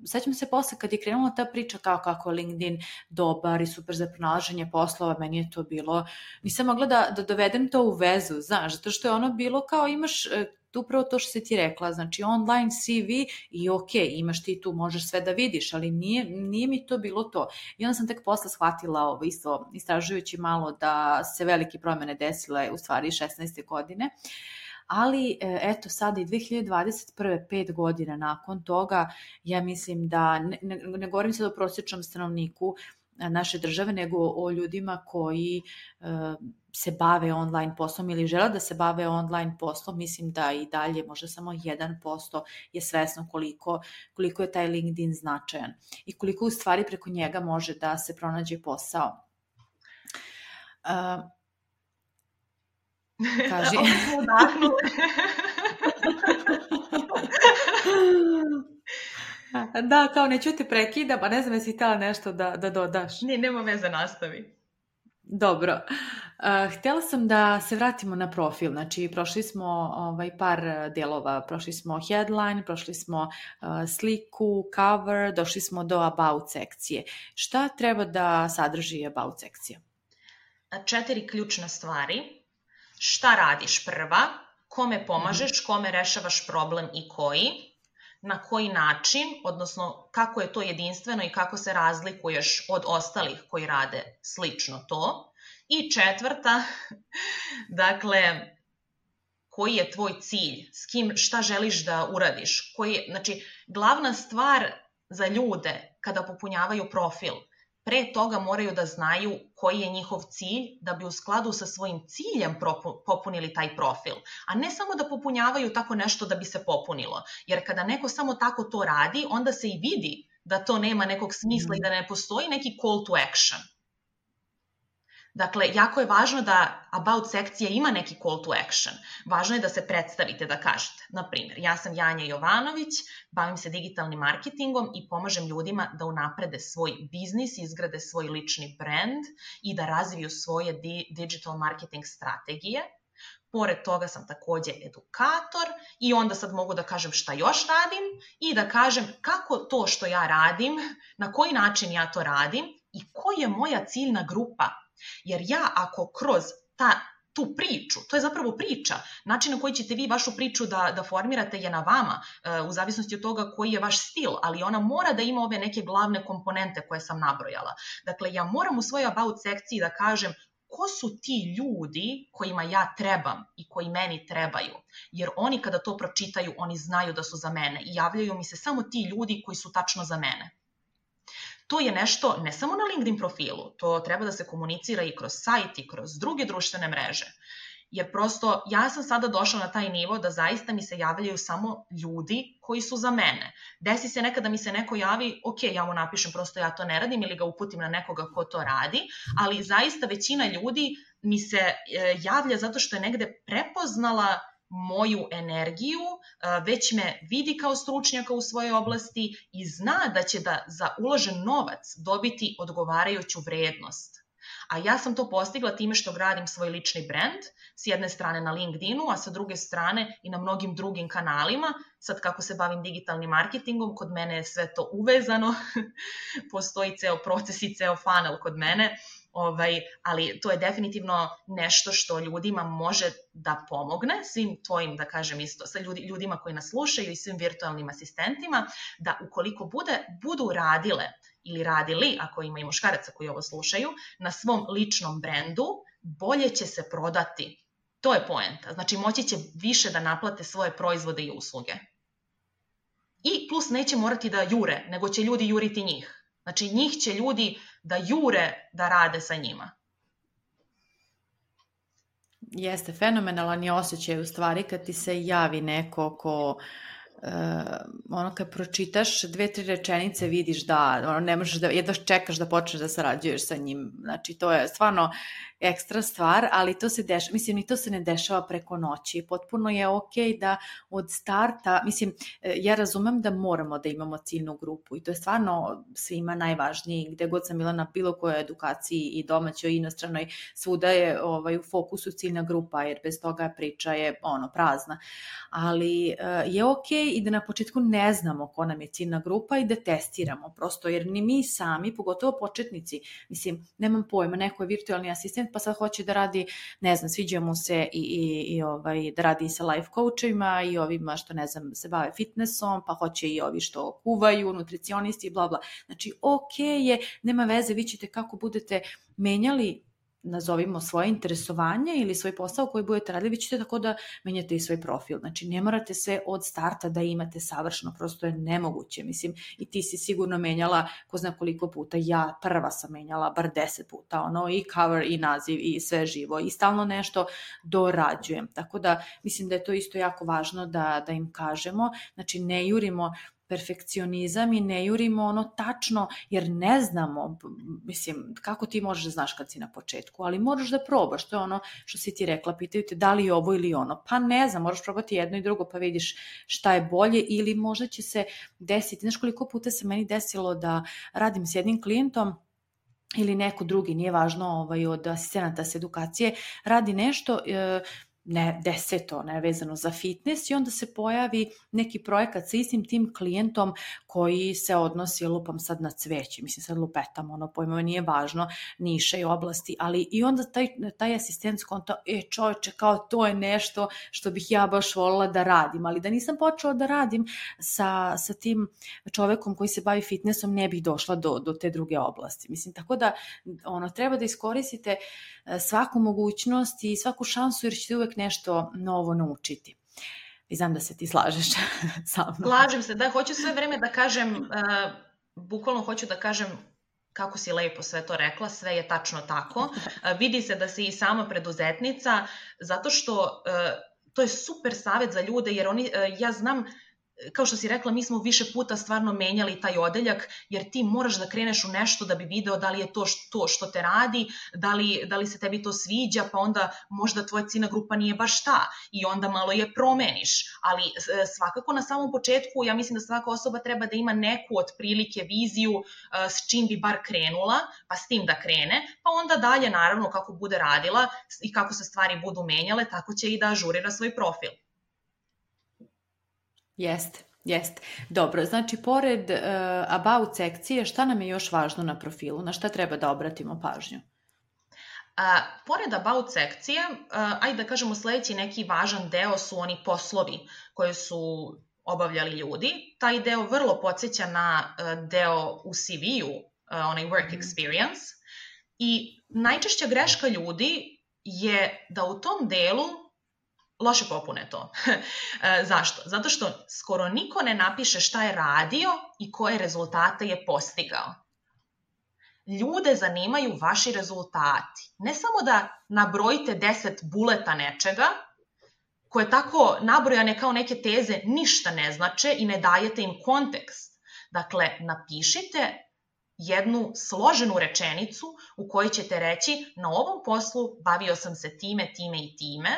sećam se posle kad je krenula ta priča kao kako je LinkedIn dobar i super za pronalaženje poslova, meni je to bilo, nisam mogla da dovedem to u vezu, znaš, zato što je ono bilo kao imaš upravo to što si ti rekla, znači online CV i ok, imaš ti tu, možeš sve da vidiš, ali nije mi to bilo to. I onda sam tek posle shvatila isto, istražujući malo da se velike promene desile u stvari 16. godine. Ali eto sada i 2021. 5 godina nakon toga, ja mislim da, ne govorim sad o prosječnom stanovniku naše države, nego o ljudima koji se bave online poslom ili žele da se bave online poslom, mislim da i dalje možda samo 1% je svesno koliko je taj LinkedIn značajan i koliko u stvari preko njega može da se pronađe posao. Kaži. Da, kao neću te prekidam, a ne znam jesi htjela nešto da dodaš. Ne, nema veze, nastavi. Dobro. Htjela sam da se vratimo na profil. Znači, prošli smo par dijelova. Prošli smo headline, prošli smo sliku, cover, došli smo do about sekcije. Šta treba da sadrži about sekcija? 4 ključne stvari. Šta radiš prva? Kome pomažeš? Kome rešavaš problem i koji? Na koji način, odnosno kako je to jedinstveno i kako se razlikuješ od ostalih koji rade slično to. I 4, dakle, koji je tvoj cilj, s kim, šta želiš da uradiš. Znači, glavna stvar za ljude kada popunjavaju profil, pre toga moraju da znaju koji je njihov cilj da bi u skladu sa svojim ciljem popunili taj profil. A ne samo da popunjavaju tako nešto da bi se popunilo. Jer kada neko samo tako to radi, onda se i vidi da to nema nekog smisla i da ne postoji neki call to action. Dakle, jako je važno da about sekcija ima neki call to action. Važno je da se predstavite, da kažete. Naprimjer, ja sam Janja Jovanović, bavim se digitalnim marketingom i pomažem ljudima da unaprede svoj biznis, izgrade svoj lični brand i da razviju svoje digital marketing strategije. Pored toga sam takođe edukator i onda sad mogu da kažem šta još radim i da kažem kako to što ja radim, na koji način ja to radim i koja je moja ciljna grupa. Jer ja ako kroz tu priču, to je zapravo priča, način na koji ćete vi vašu priču da formirate je na vama, u zavisnosti od toga koji je vaš stil, ali ona mora da ima ove neke glavne komponente koje sam nabrojala. Dakle, ja moram u svojoj about sekciji da kažem ko su ti ljudi kojima ja trebam i koji meni trebaju. Jer oni kada to pročitaju, oni znaju da su za mene i javljaju mi se samo ti ljudi koji su tačno za mene. To je nešto ne samo na LinkedIn profilu, to treba da se komunicira i kroz sajt i kroz druge društvene mreže. Jer prosto ja sam sada došla na taj nivo da zaista mi se javljaju samo ljudi koji su za mene. Desi se nekada mi se neko javi, ok, ja mu napišem, prosto ja to ne radim ili ga uputim na nekoga ko to radi, ali zaista većina ljudi mi se javlja zato što je negde prepoznala moju energiju, već me vidi kao stručnjaka u svojoj oblasti i zna da će da za uložen novac dobiti odgovarajuću vrednost. A ja sam to postigla time što gradim svoj lični brand, s jedne strane na LinkedInu, a sa druge strane i na mnogim drugim kanalima. Sad kako se bavim digitalnim marketingom, kod mene je sve to uvezano, postoji ceo proces i ceo funnel kod mene, ali to je definitivno nešto što ljudima može da pomogne, svim tvojim, da kažem isto, sa ljudima koji nas slušaju i svim virtualnim asistentima, da ukoliko budu radile ili radili, ako ima i muškaraca koji ovo slušaju, na svom ličnom brendu, bolje će se prodati. To je poenta. Znači, moći će više da naplate svoje proizvode i usluge. I plus neće morati da jure, nego će ljudi juriti njih. Znači, njih će ljudi da jure da rade sa njima. Jeste, fenomenalan je osjećaj u stvari kad ti se javi neko ko kad pročitaš 2-3 rečenice vidiš da ne možeš da jedva čekaš da počneš da sarađuješ sa njim. Znači, to je stvarno ekstra stvar, ali to se dešava, mislim, ni to se ne dešava preko noći. Potpuno je okej da od starta, mislim, ja razumem da moramo da imamo ciljnu grupu i to je stvarno svima najvažnije. Gde god sam bila na bilo kojoj edukaciji i domaćoj i inostranoj, svuda je u fokusu ciljna grupa, jer bez toga priča je prazna. Ali je okej i da na početku ne znamo ko nam je ciljna grupa i da testiramo prosto, jer ni mi sami, pogotovo početnici, mislim, nemam pojma, neko je virtualni asistent pa sad hoće da radi, ne znam, sviđa mu se i da radi sa life coachovima i ovima što, ne znam, se bave fitnessom, pa hoće i ovi što kuvaju, nutricionisti i bla bla. Znači, okej je, nema veze, vi ćete kako budete menjali, nazovimo, svoje interesovanje ili svoj posao koji budete radili, vi ćete tako da menjate i svoj profil. Znači, ne morate sve od starta da imate savršeno, prosto je nemoguće. Mislim, i ti si sigurno menjala ko zna koliko puta, ja prva sam menjala bar 10 puta, i cover i naziv i sve živo i stalno nešto dorađujem. Tako da, mislim da je to isto jako važno da im kažemo. Znači, ne jurimo perfekcionizam i ne jurimo ono tačno, jer ne znamo, mislim, kako ti možeš da znaš kad si na početku, ali moraš da probaš, to je ono što si ti rekla, pitaju te da li je ovo ili ono, pa ne znam, moraš probati jedno i drugo pa vidiš šta je bolje, ili možda će se desiti, znaš koliko puta se meni desilo da radim s jednim klijentom ili neko drugi, nije važno od asistenata s edukacije, radi nešto, ne deseto, ne vezano za fitness, i onda se pojavi neki projekat sa istim tim klijentom koji se odnosi, lupam sad na cveće, mislim sad lupetam, ono pojmove, nije važno, niše i oblasti, ali i onda taj asistent skonta, čoveče, kao to je nešto što bih ja baš volila da radim, ali da nisam počela da radim sa tim čovekom koji se bavi fitnessom, ne bih došla do te druge oblasti. Mislim, tako da treba da iskoristite svaku mogućnost i svaku šansu, jer ćete uvek nešto novo naučiti. I znam da se ti slažeš sa mnom. Slažem se, da, hoću sve vreme da kažem, bukvalno hoću da kažem kako si lepo sve to rekla, sve je tačno tako. Vidi se da si i sama preduzetnica, zato što to je super savjet za ljude, jer ja znam, kao što si rekla, mi smo više puta stvarno menjali taj odeljak, jer ti moraš da kreneš u nešto da bi video da li je to što te radi, da li se tebi to sviđa, pa onda možda tvoja ciljna grupa nije baš ta i onda malo je promeniš. Ali svakako na samom početku, ja mislim da svaka osoba treba da ima neku otprilike viziju s čim bi bar krenula, pa s tim da krene, pa onda dalje naravno kako bude radila i kako se stvari budu menjale, tako će i da ažurira svoj profil. Jeste. Dobro, znači pored about sekcije, šta nam je još važno na profilu? Na šta treba da obratimo pažnju? Pored about sekcije, ajde da kažemo sledeći neki važan deo su oni poslovi koje su obavljali ljudi. Taj deo vrlo podsjeća na deo u CV-u, onaj work experience. I najčešća greška ljudi je da u tom delu loše popune to. Zašto? Zato što skoro niko ne napiše šta je radio i koje rezultate je postigao. Ljude zanimaju vaši rezultati. Ne samo da nabrojite 10 buleta nečega, koje tako nabrojane kao neke teze ništa ne znače i ne dajete im kontekst. Dakle, napišite jednu složenu rečenicu u kojoj ćete reći na ovom poslu bavio sam se time i time,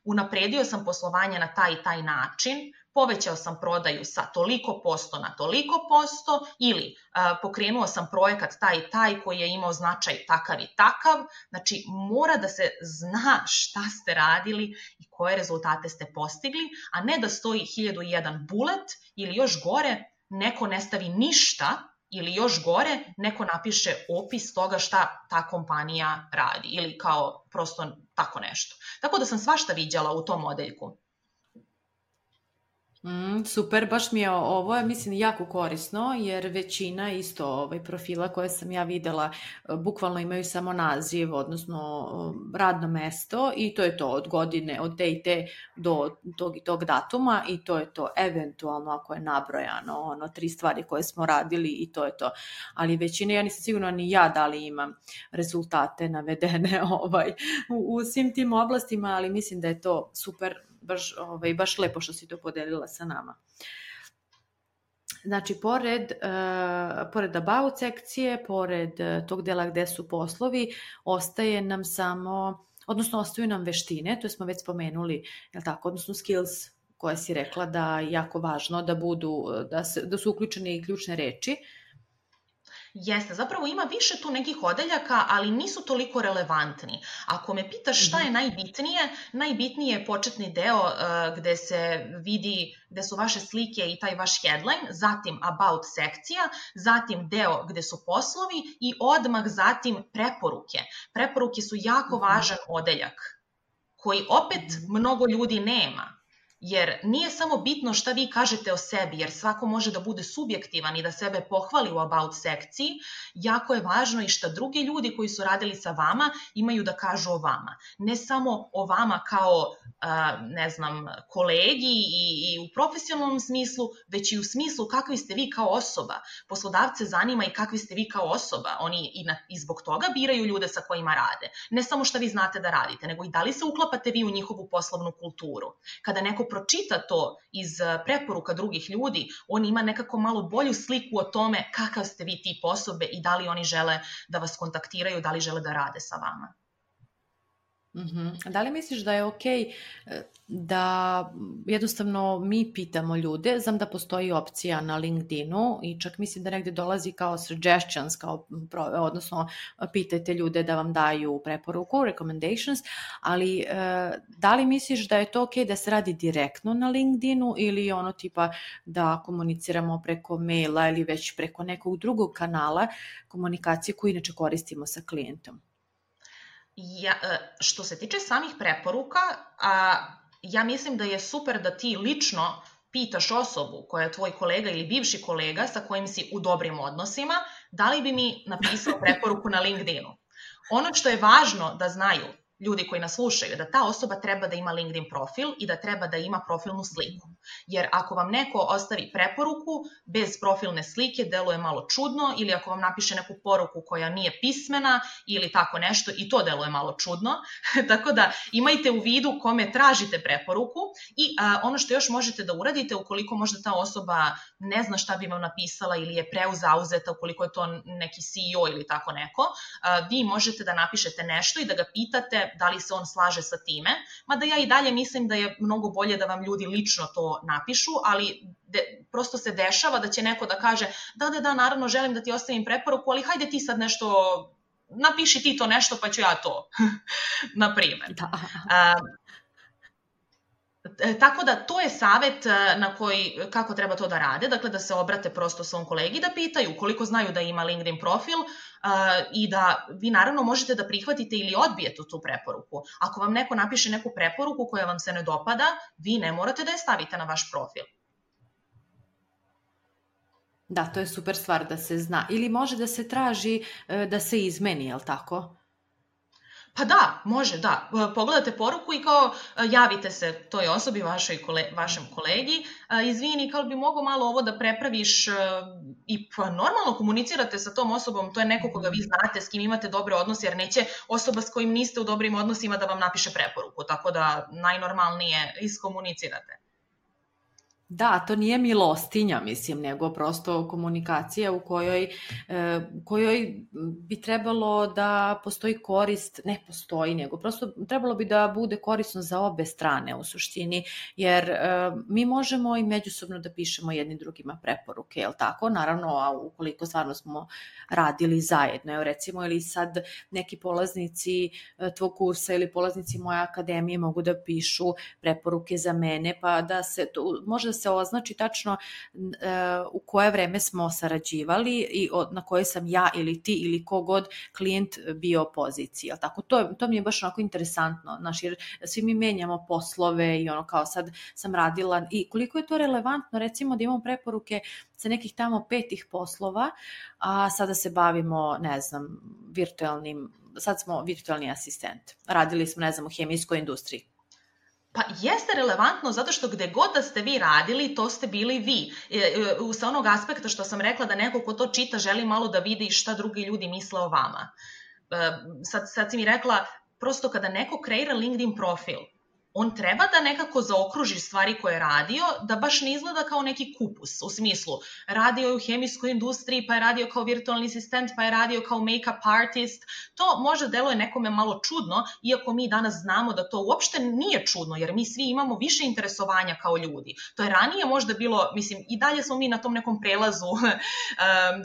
unapredio sam poslovanje na taj i taj način, povećao sam prodaju sa toliko posto na toliko posto ili pokrenuo sam projekat taj i taj koji je imao značaj takav i takav. Znači, mora da se zna šta ste radili i koje rezultate ste postigli, a ne da stoji 1001 bulet ili još gore, neko ne stavi ništa ili još gore, neko napiše opis toga šta ta kompanija radi ili kao prosto tako nešto. Tako da sam svašta viđala u tom odeljku. Super, baš mi je ovo, mislim, jako korisno, jer većina isto profila koje sam ja videla bukvalno imaju samo naziv, odnosno radno mesto, i to je to od godine, od te i te do tog i tog datuma, i to je to, eventualno ako je nabrojano 3 stvari koje smo radili i to je to. Ali većina, ja nisam sigurna ni ja da li imam rezultate navedene u svim tim oblastima, ali mislim da je to super, baš lepo što si to podelila sa nama. Znači, pored about sekcije, pored tog dela gde su poslovi, ostaje nam samo, odnosno ostaju nam veštine, to smo već spomenuli, odnosno skills koje si rekla da je jako važno da su uključene i ključne reči. Jeste, zapravo ima više tu nekih odeljaka, ali nisu toliko relevantni. Ako me pitaš šta je najbitnije je početni deo gde se vidi, gde su vaše slike i taj vaš headline, zatim about sekcija, zatim deo gde su poslovi i odmah zatim preporuke. Preporuke su jako važan odeljak koji opet mnogo ljudi nema. Jer nije samo bitno šta vi kažete o sebi, jer svako može da bude subjektivan i da sebe pohvali u about sekciji. Jako je važno i šta drugi ljudi koji su radili sa vama imaju da kažu o vama. Ne samo o vama kao, kolegi i u profesionalnom smislu, već i u smislu kakvi ste vi kao osoba. Poslodavce zanima i kakvi ste vi kao osoba. Oni i zbog toga biraju ljude sa kojima rade. Ne samo šta vi znate da radite, nego i da li se uklapate vi u njihovu poslovnu kulturu. Kada neko pročita to iz preporuka drugih ljudi, on ima nekako malo bolju sliku o tome kakav ste vi tip osobe i da li oni žele da vas kontaktiraju, da li žele da rade sa vama. Da li misliš da je okej da jednostavno mi pitamo ljude? Znam da postoji opcija na LinkedInu i čak mislim da negde dolazi kao suggestions, odnosno pitajte ljude da vam daju preporuku, recommendations, ali da li misliš da je to okej da se radi direktno na LinkedInu ili ono tipa da komuniciramo preko maila ili već preko nekog drugog kanala komunikacije koju inače koristimo sa klijentom? Što se tiče samih preporuka, ja mislim da je super da ti lično pitaš osobu koja je tvoj kolega ili bivši kolega sa kojim si u dobrim odnosima, da li bi mi napisao preporuku na LinkedInu. Ono što je važno da znaju ljudi koji nas slušaju, da ta osoba treba da ima LinkedIn profil i da treba da ima profilnu sliku. Jer ako vam neko ostavi preporuku bez profilne slike, deluje malo čudno, ili ako vam napiše neku poruku koja nije pismena ili tako nešto, i to deluje malo čudno. Tako da imajte u vidu kome tražite preporuku i ono što još možete da uradite, ukoliko možda ta osoba ne zna šta bi vam napisala ili je preuzauzeta, ukoliko je to neki CEO ili tako neko, vi možete da napišete nešto i da ga pitate da li se on slaže sa time, mada ja i dalje mislim da je mnogo bolje da vam ljudi lično to napišu, ali prosto se dešava da će neko da kaže da, naravno želim da ti ostavim preporuku, ali hajde ti sad nešto, napiši ti to nešto pa ću ja to, na primjer. Tako da to je savjet kako treba to da rade, dakle da se obrate prosto svom kolegi da pitaju koliko znaju da ima LinkedIn profil i da vi naravno možete da prihvatite ili odbijete tu preporuku. Ako vam neko napiše neku preporuku koja vam se ne dopada, vi ne morate da je stavite na vaš profil. Da, to je super stvar da se zna. Ili može da se traži da se izmeni, je li tako? Pa da, može, da. Pogledate poruku i kao javite se toj osobi, vašem kolegi, izvini, kao bi mogo malo ovo da prepraviš i pa normalno komunicirate sa tom osobom, to je neko koga vi znate, s kim imate dobre odnose, jer neće osoba s kojim niste u dobrim odnosima da vam napiše preporuku, tako da najnormalnije iskomunicirate. Da, to nije milostinja, mislim, nego prosto komunikacija u kojoj bi trebalo da postoji korist, ne postoji, nego prosto trebalo bi da bude korisno za obe strane u suštini, jer mi možemo i međusobno da pišemo jednim drugima preporuke, je li tako? Naravno, a ukoliko stvarno smo radili zajedno, evo recimo, ili sad neki polaznici tvog kursa ili polaznici moje akademije mogu da pišu preporuke za mene, pa da se to, može da se označi tačno u koje vreme smo sarađivali i na kojoj sam ja ili ti ili kogod klijent bio poziciji. Tako, to mi je baš onako interesantno, jer svi mi menjamo poslove i ono kao sad sam radila i koliko je to relevantno recimo da imamo preporuke sa nekih tamo 5 poslova, a sada se bavimo, ne znam, sad smo virtualni asistent. Radili smo, ne znam, u hemijskoj industriji. Pa jeste relevantno zato što gde god da ste vi radili, to ste bili vi. Sa onog aspekta što sam rekla da neko ko to čita želi malo da vidi šta drugi ljudi misle o vama. Sad si mi rekla, prosto kada neko kreira LinkedIn profil, on treba da nekako zaokruži stvari koje je radio, da baš ne izgleda kao neki kupus, u smislu radio je u hemijskoj industriji, pa je radio kao virtualni asistent, pa je radio kao make-up artist. To možda deluje nekome malo čudno, iako mi danas znamo da to uopšte nije čudno, jer mi svi imamo više interesovanja kao ljudi. To je ranije možda bilo, mislim, i dalje smo mi na tom nekom prelazu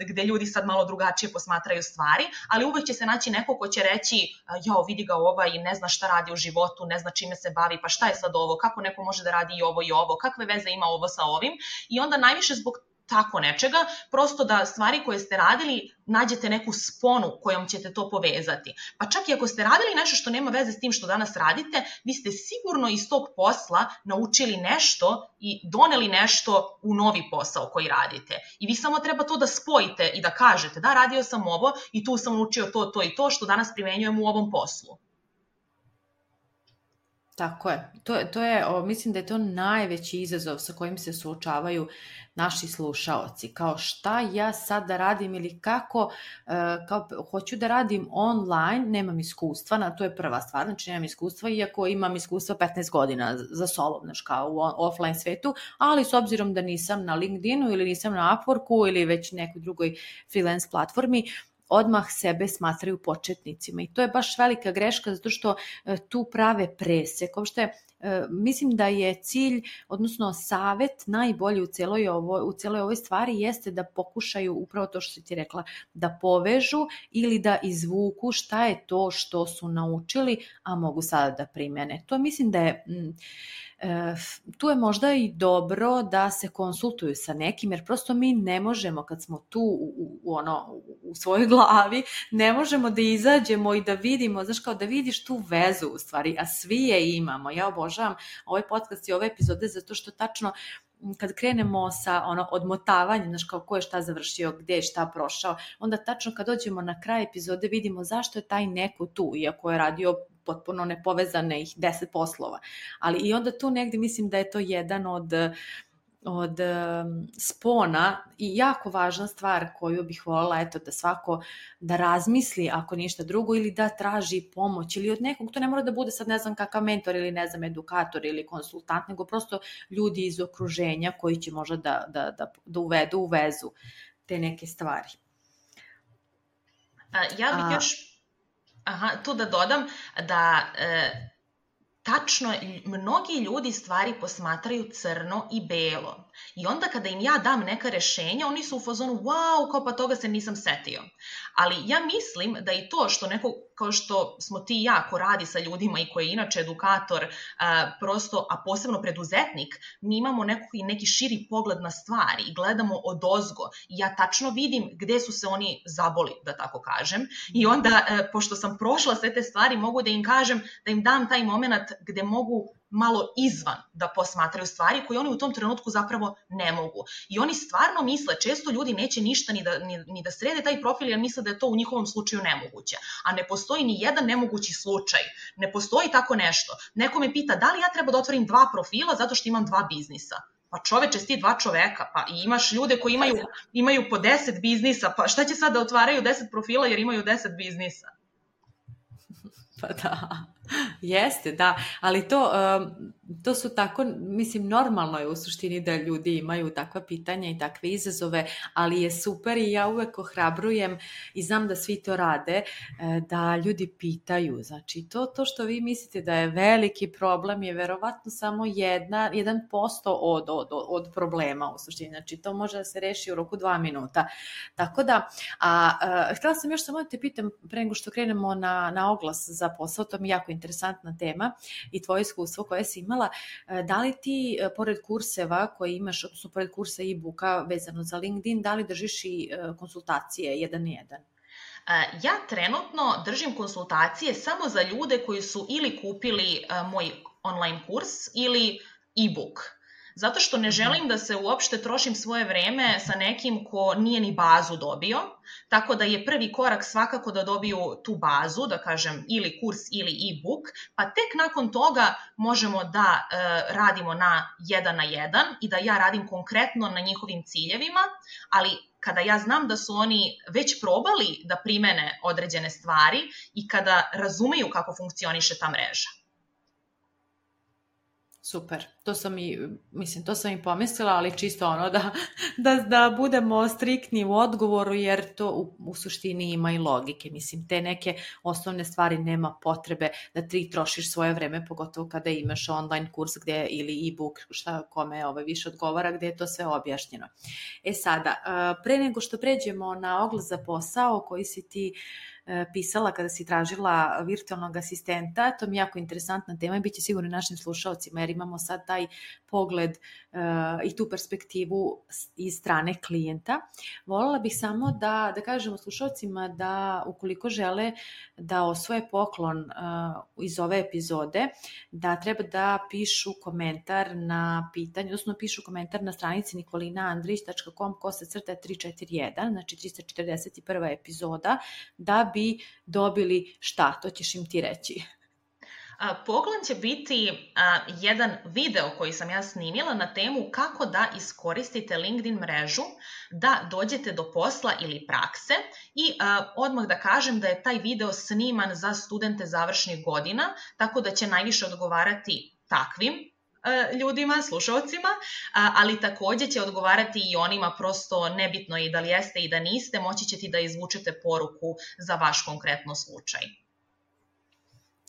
gde ljudi sad malo drugačije posmatraju stvari, ali uvek će se naći neko ko će reći, jao, vidi ga ovaj, ne zna šta radi u životu, ne zna čime se bavi, pa šta je sad ovo, kako neko može da radi i ovo, kakve veze ima ovo sa ovim, i onda najviše zbog tako nečega, prosto da stvari koje ste radili nađete neku sponu kojom ćete to povezati. Pa čak i ako ste radili nešto što nema veze s tim što danas radite, vi ste sigurno iz tog posla naučili nešto i doneli nešto u novi posao koji radite. I vi samo treba to da spojite i da kažete da, radio sam ovo i tu sam naučio to i to što danas primenjujem u ovom poslu. Tako je. To je, mislim da je to najveći izazov sa kojim se suočavaju naši slušaoci. Kao šta ja sad da radim ili kako, kao hoću da radim online, nemam iskustva, to je prva stvar, znači nemam iskustva, iako imam iskustva 15 godina za sobom, znači kao u offline svetu, ali s obzirom da nisam na LinkedInu ili nisam na Upworku ili već nekoj drugoj freelance platformi, odmah sebe smatraju početnicima i to je baš velika greška zato što tu prave presek. Uopšte, mislim da je cilj, odnosno savet najbolji u cijeloj ovoj stvari jeste da pokušaju upravo to što si ti rekla, da povežu ili da izvuku šta je to što su naučili, a mogu sada da primene. To mislim da je... tu je možda i dobro da se konsultuju sa nekim, jer prosto mi ne možemo kad smo tu u svojoj glavi, ne možemo da izađemo i da vidimo, znaš, kao da vidiš tu vezu u stvari, a svi je imamo. Ja obožavam ovaj podcast i ove epizode zato što tačno kad krenemo sa odmotavanjem, znaš, kao ko je šta završio, gdje je šta prošao, onda tačno kad dođemo na kraj epizode vidimo zašto je taj neko tu, iako je radio potpuno nepovezane ih 10 poslova. Ali i onda tu negdje mislim da je to jedan od spona i jako važna stvar koju bih voljela da svako da razmisli ako ništa drugo ili da traži pomoć ili od nekog, to ne mora da bude sad ne znam kakav mentor ili ne znam edukator ili konsultant, nego prosto ljudi iz okruženja koji će možda da uvedu u vezu te neke stvari. Ja bih još tu da dodam da tačno mnogi ljudi stvari posmatraju crno i belo. I onda kada im ja dam neka rešenja, oni su u fazonu, wow, kao pa toga se nisam setio. Ali ja mislim da i to što neko, kao što smo ti i ja, ko radi sa ljudima i koji je inače edukator, prosto, a posebno preduzetnik, mi imamo neki širi pogled na stvari i gledamo odozgo. I ja tačno vidim gde su se oni zaboli, da tako kažem. I onda, pošto sam prošla sve te stvari, mogu da im kažem, da im dam taj moment gde mogu malo izvan da posmatraju stvari koje oni u tom trenutku zapravo ne mogu. I oni stvarno misle, često ljudi neće ništa ni da srede taj profil jer misle da je to u njihovom slučaju nemoguće. A ne postoji ni jedan nemogući slučaj. Ne postoji tako nešto. Neko me pita da li ja treba da otvorim 2 profila zato što imam 2 biznisa. Pa čoveče, sti 2 čoveka, pa i imaš ljude koji imaju po 10 biznisa, pa šta će sad da otvaraju 10 profila jer imaju 10 biznisa? Pa da, jeste, da, ali to su tako, mislim, normalno je u suštini da ljudi imaju takva pitanja i takve izazove, ali je super i ja uvek ohrabrujem i znam da svi to rade, da ljudi pitaju. Znači, to što vi mislite da je veliki problem je verovatno samo 1% od problema u suštini. Znači, to može da se reši u roku 2 minuta. Tako da, htjela sam još samo da te pitam, pre nego što krenemo na oglas za posao, to mi je jako interesantna tema i tvoje iskustvo koje si imala. Da li ti, pored kurseva koje imaš, odnosno pored kursa e-booka vezano za LinkedIn, da li držiš i konsultacije 1 na 1? Ja trenutno držim konsultacije samo za ljude koji su ili kupili moj online kurs ili e-book. Zato što ne želim da se uopšte trošim svoje vreme sa nekim ko nije ni bazu dobio, tako da je prvi korak svakako da dobiju tu bazu, da kažem ili kurs ili e-book, pa tek nakon toga možemo da radimo na 1 na 1 i da ja radim konkretno na njihovim ciljevima, ali kada ja znam da su oni već probali da primene određene stvari i kada razumeju kako funkcioniše ta mreža. Super, to sam i pomislila, ali čisto da budemo striktni u odgovoru, jer to u suštini ima i logike. Mislim, te neke osnovne stvari nema potrebe da ti trošiš svoje vreme, pogotovo kada imaš online kurs ili e-book, šta kome više odgovara, gdje je to sve objašnjeno. Sada, pre nego što pređemo na oglas za posao koji si ti pisala kada si tražila virtualnog asistenta, to mi je jako interesantna tema i bit će sigurno našim slušalcima, jer imamo sad taj pogled i tu perspektivu iz strane klijenta. Voljela bih samo da kažemo slušalcima da ukoliko žele da osvoje poklon iz ove epizode, da treba da pišu komentar na pitanje, odnosno pišu komentar na stranici nikolinaandrić.com/341, znači 341. epizoda, da bi dobili šta? To ćeš im ti reći. Poklon će biti jedan video koji sam ja snimila na temu kako da iskoristite LinkedIn mrežu da dođete do posla ili prakse i odmah da kažem da je taj video sniman za studente završnih godina, tako da će najviše odgovarati takvim ljudima, slušalcima, ali takođe će odgovarati i onima, prosto nebitno je da li jeste i da niste, moći ćete da izvučete poruku za vaš konkretno slučaj.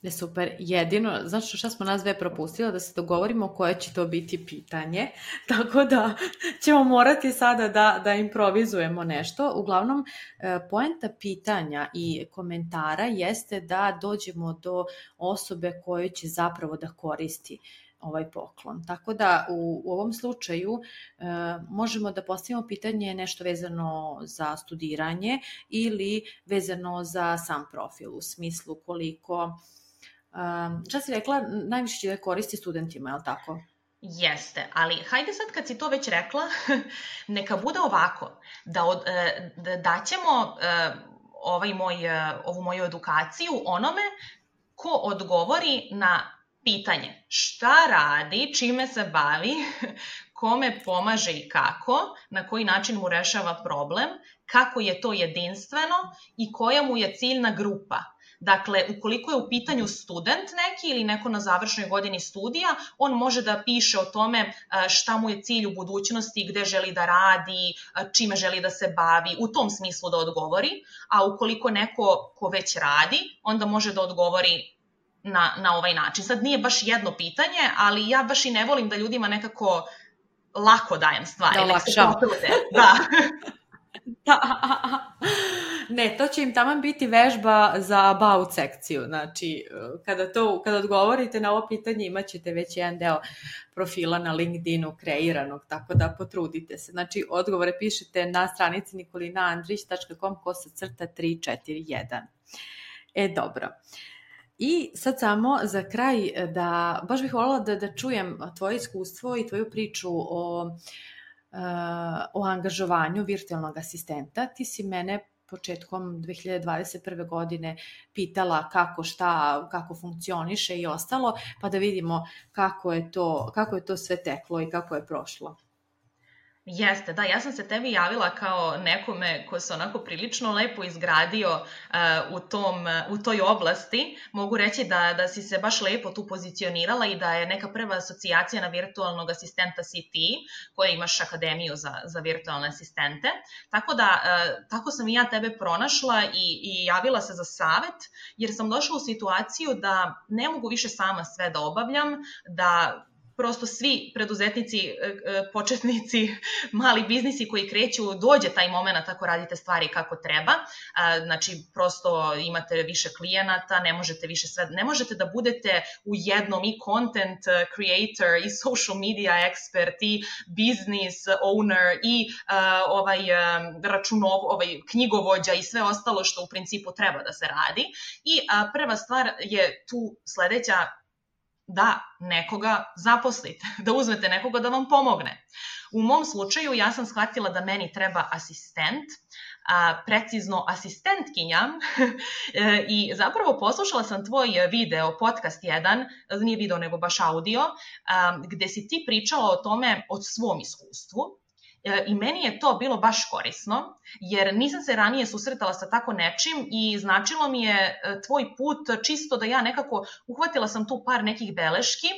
Je super, jedino, znači šta smo nas dve propustila, da se dogovorimo koje će to biti pitanje, tako da ćemo morati sada da improvizujemo nešto. Uglavnom, poenta pitanja i komentara jeste da dođemo do osobe koje će zapravo da koristi ovaj poklon. Tako da u ovom slučaju možemo da postavimo pitanje nešto vezano za studiranje ili vezano za sam profil, u smislu koliko... Šta si rekla, najviše će da koristi studentima, je li tako? Jeste, ali hajde sad kad si to već rekla, neka bude ovako, da ćemo ovu moju edukaciju onome ko odgovori na pitanje šta radi, čime se bavi, kome pomaže i kako, na koji način mu rešava problem, kako je to jedinstveno i koja mu je ciljna grupa. Dakle, ukoliko je u pitanju student neki ili neko na završnoj godini studija, on može da piše o tome šta mu je cilj u budućnosti, gde želi da radi, čime želi da se bavi, u tom smislu da odgovori, a ukoliko neko ko već radi, onda može da odgovori na ovaj način. Sad nije baš jedno pitanje, ali ja baš i ne volim da ljudima nekako lako dajem stvari. Da olakšam. Da. Ne, to će im taman biti vežba za about sekciju, znači kada odgovorite na ovo pitanje imat ćete već jedan deo profila na LinkedInu kreiranog, tako da potrudite se. Znači odgovore pišete na stranici nikolinaandrić.com/341. Dobro. I sad samo za kraj da, baš bih voljela da čujem tvoje iskustvo i tvoju priču o angažovanju virtualnog asistenta. Ti si mene početkom 2021. godine pitala kako funkcioniše i ostalo, pa da vidimo kako je to sve teklo i kako je prošlo. Jeste, da, ja sam se tebi javila kao nekome ko se onako prilično lepo izgradio u toj oblasti. Mogu reći da si se baš lepo tu pozicionirala i da je neka prva asocijacija na virtualnog asistenta si ti, koja imaš akademiju za virtualne asistente. Tako sam i ja tebe pronašla i javila se za savet, jer sam došla u situaciju da ne mogu više sama sve da obavljam, da prosto svi preduzetnici, početnici, mali biznisi koji kreću, dođe taj moment ako radite stvari kako treba. Znači, prosto imate više klijenata, ne možete da budete u jednom i content creator, i social media expert, i business owner, i knjigovođa i sve ostalo što u principu treba da se radi. I prva stvar je tu sledeća, da nekoga zaposlite, da uzmete nekoga da vam pomogne. U mom slučaju ja sam shvatila da meni treba asistent, precizno asistentkinja i zapravo poslušala sam tvoj video, podcast jedan, nije video nego baš audio, gde si ti pričala o tome od svom iskustvu. I meni je to bilo baš korisno, jer nisam se ranije susretala sa tako nečim i značilo mi je tvoj put čisto da ja nekako uhvatila sam tu par nekih beleški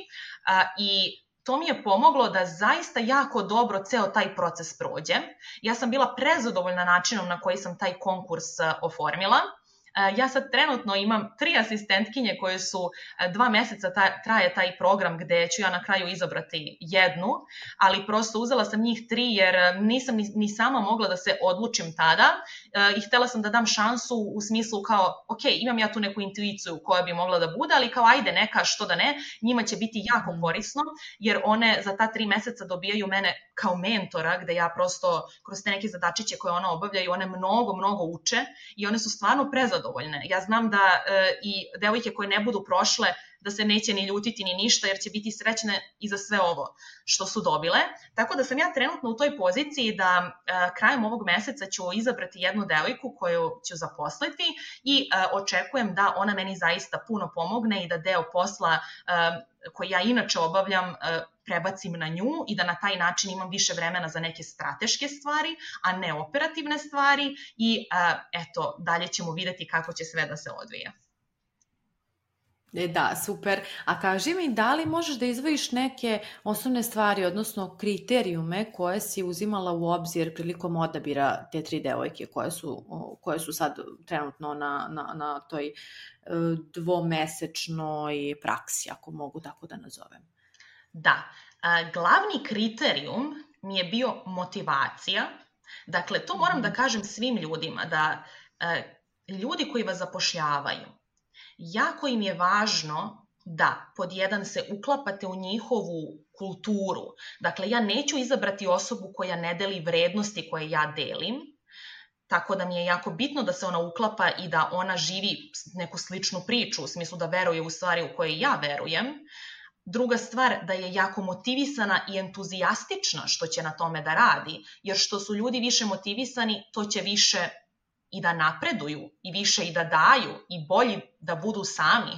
i to mi je pomoglo da zaista jako dobro ceo taj proces prođe. Ja sam bila prezadovoljna načinom na koji sam taj konkurs oformila. Ja sad trenutno imam 3 asistentkinje koje su 2 meseca traje taj program gde ću ja na kraju izabrati jednu, ali prosto uzela sam njih 3 jer nisam ni sama mogla da se odlučim tada i htela sam da dam šansu u smislu kao, ok, imam ja tu neku intuiciju koja bi mogla da bude, ali kao ajde neka, što da ne, njima će biti jako korisno jer one za ta 3 meseca dobijaju mene kao mentora gde ja prosto kroz te neke zadačiće koje one obavljaju, one mnogo uče i one su stvarno prezadovoljne. Ja znam da i devojke koje ne budu prošle da se neće ni ljutiti ni ništa jer će biti srećne i za sve ovo što su dobile. Tako da sam ja trenutno u toj poziciji da krajem ovog meseca ću izabrati jednu devojku koju ću zaposliti i očekujem da ona meni zaista puno pomogne i da deo posla koji ja inače obavljam prebacim na nju i da na taj način imam više vremena za neke strateške stvari, a ne operativne stvari i eto, dalje ćemo videti kako će sve da se odvija. Da, super. A kaži mi, da li možeš da izdvojiš neke osnovne stvari, odnosno kriterijume koje si uzimala u obzir prilikom odabira te 3 devojke koje su sad trenutno na toj dvomesečnoj praksi, ako mogu tako da nazovem? Da, glavni kriterijum mi je bio motivacija. Dakle, to moram da kažem svim ljudima, da ljudi koji vas zapošljavaju, jako im je važno da pod jedan se uklapate u njihovu kulturu. Dakle, ja neću izabrati osobu koja ne deli vrednosti koje ja delim, tako da mi je jako bitno da se ona uklapa i da ona živi neku sličnu priču, u smislu da veruje u stvari u koje ja verujem. Druga stvar, da je jako motivisana i entuzijastična što će na tome da radi, jer što su ljudi više motivisani, to će više i da napreduju, i više i da daju, i bolji da budu sami,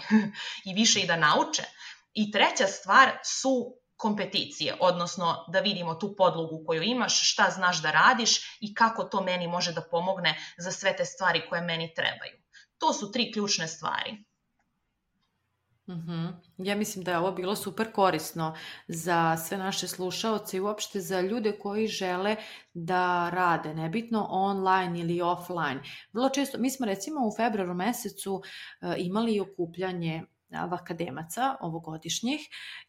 i više i da nauče. I treća stvar su kompeticije, odnosno da vidimo tu podlogu koju imaš, šta znaš da radiš i kako to meni može da pomogne za sve te stvari koje meni trebaju. To su 3 ključne stvari. Ja mislim da je ovo bilo super korisno za sve naše slušaoce i uopšte za ljude koji žele da rade, nebitno online ili offline. Vrlo često, mi smo recimo u februaru mesecu imali okupljanje akademaca ovogodišnjih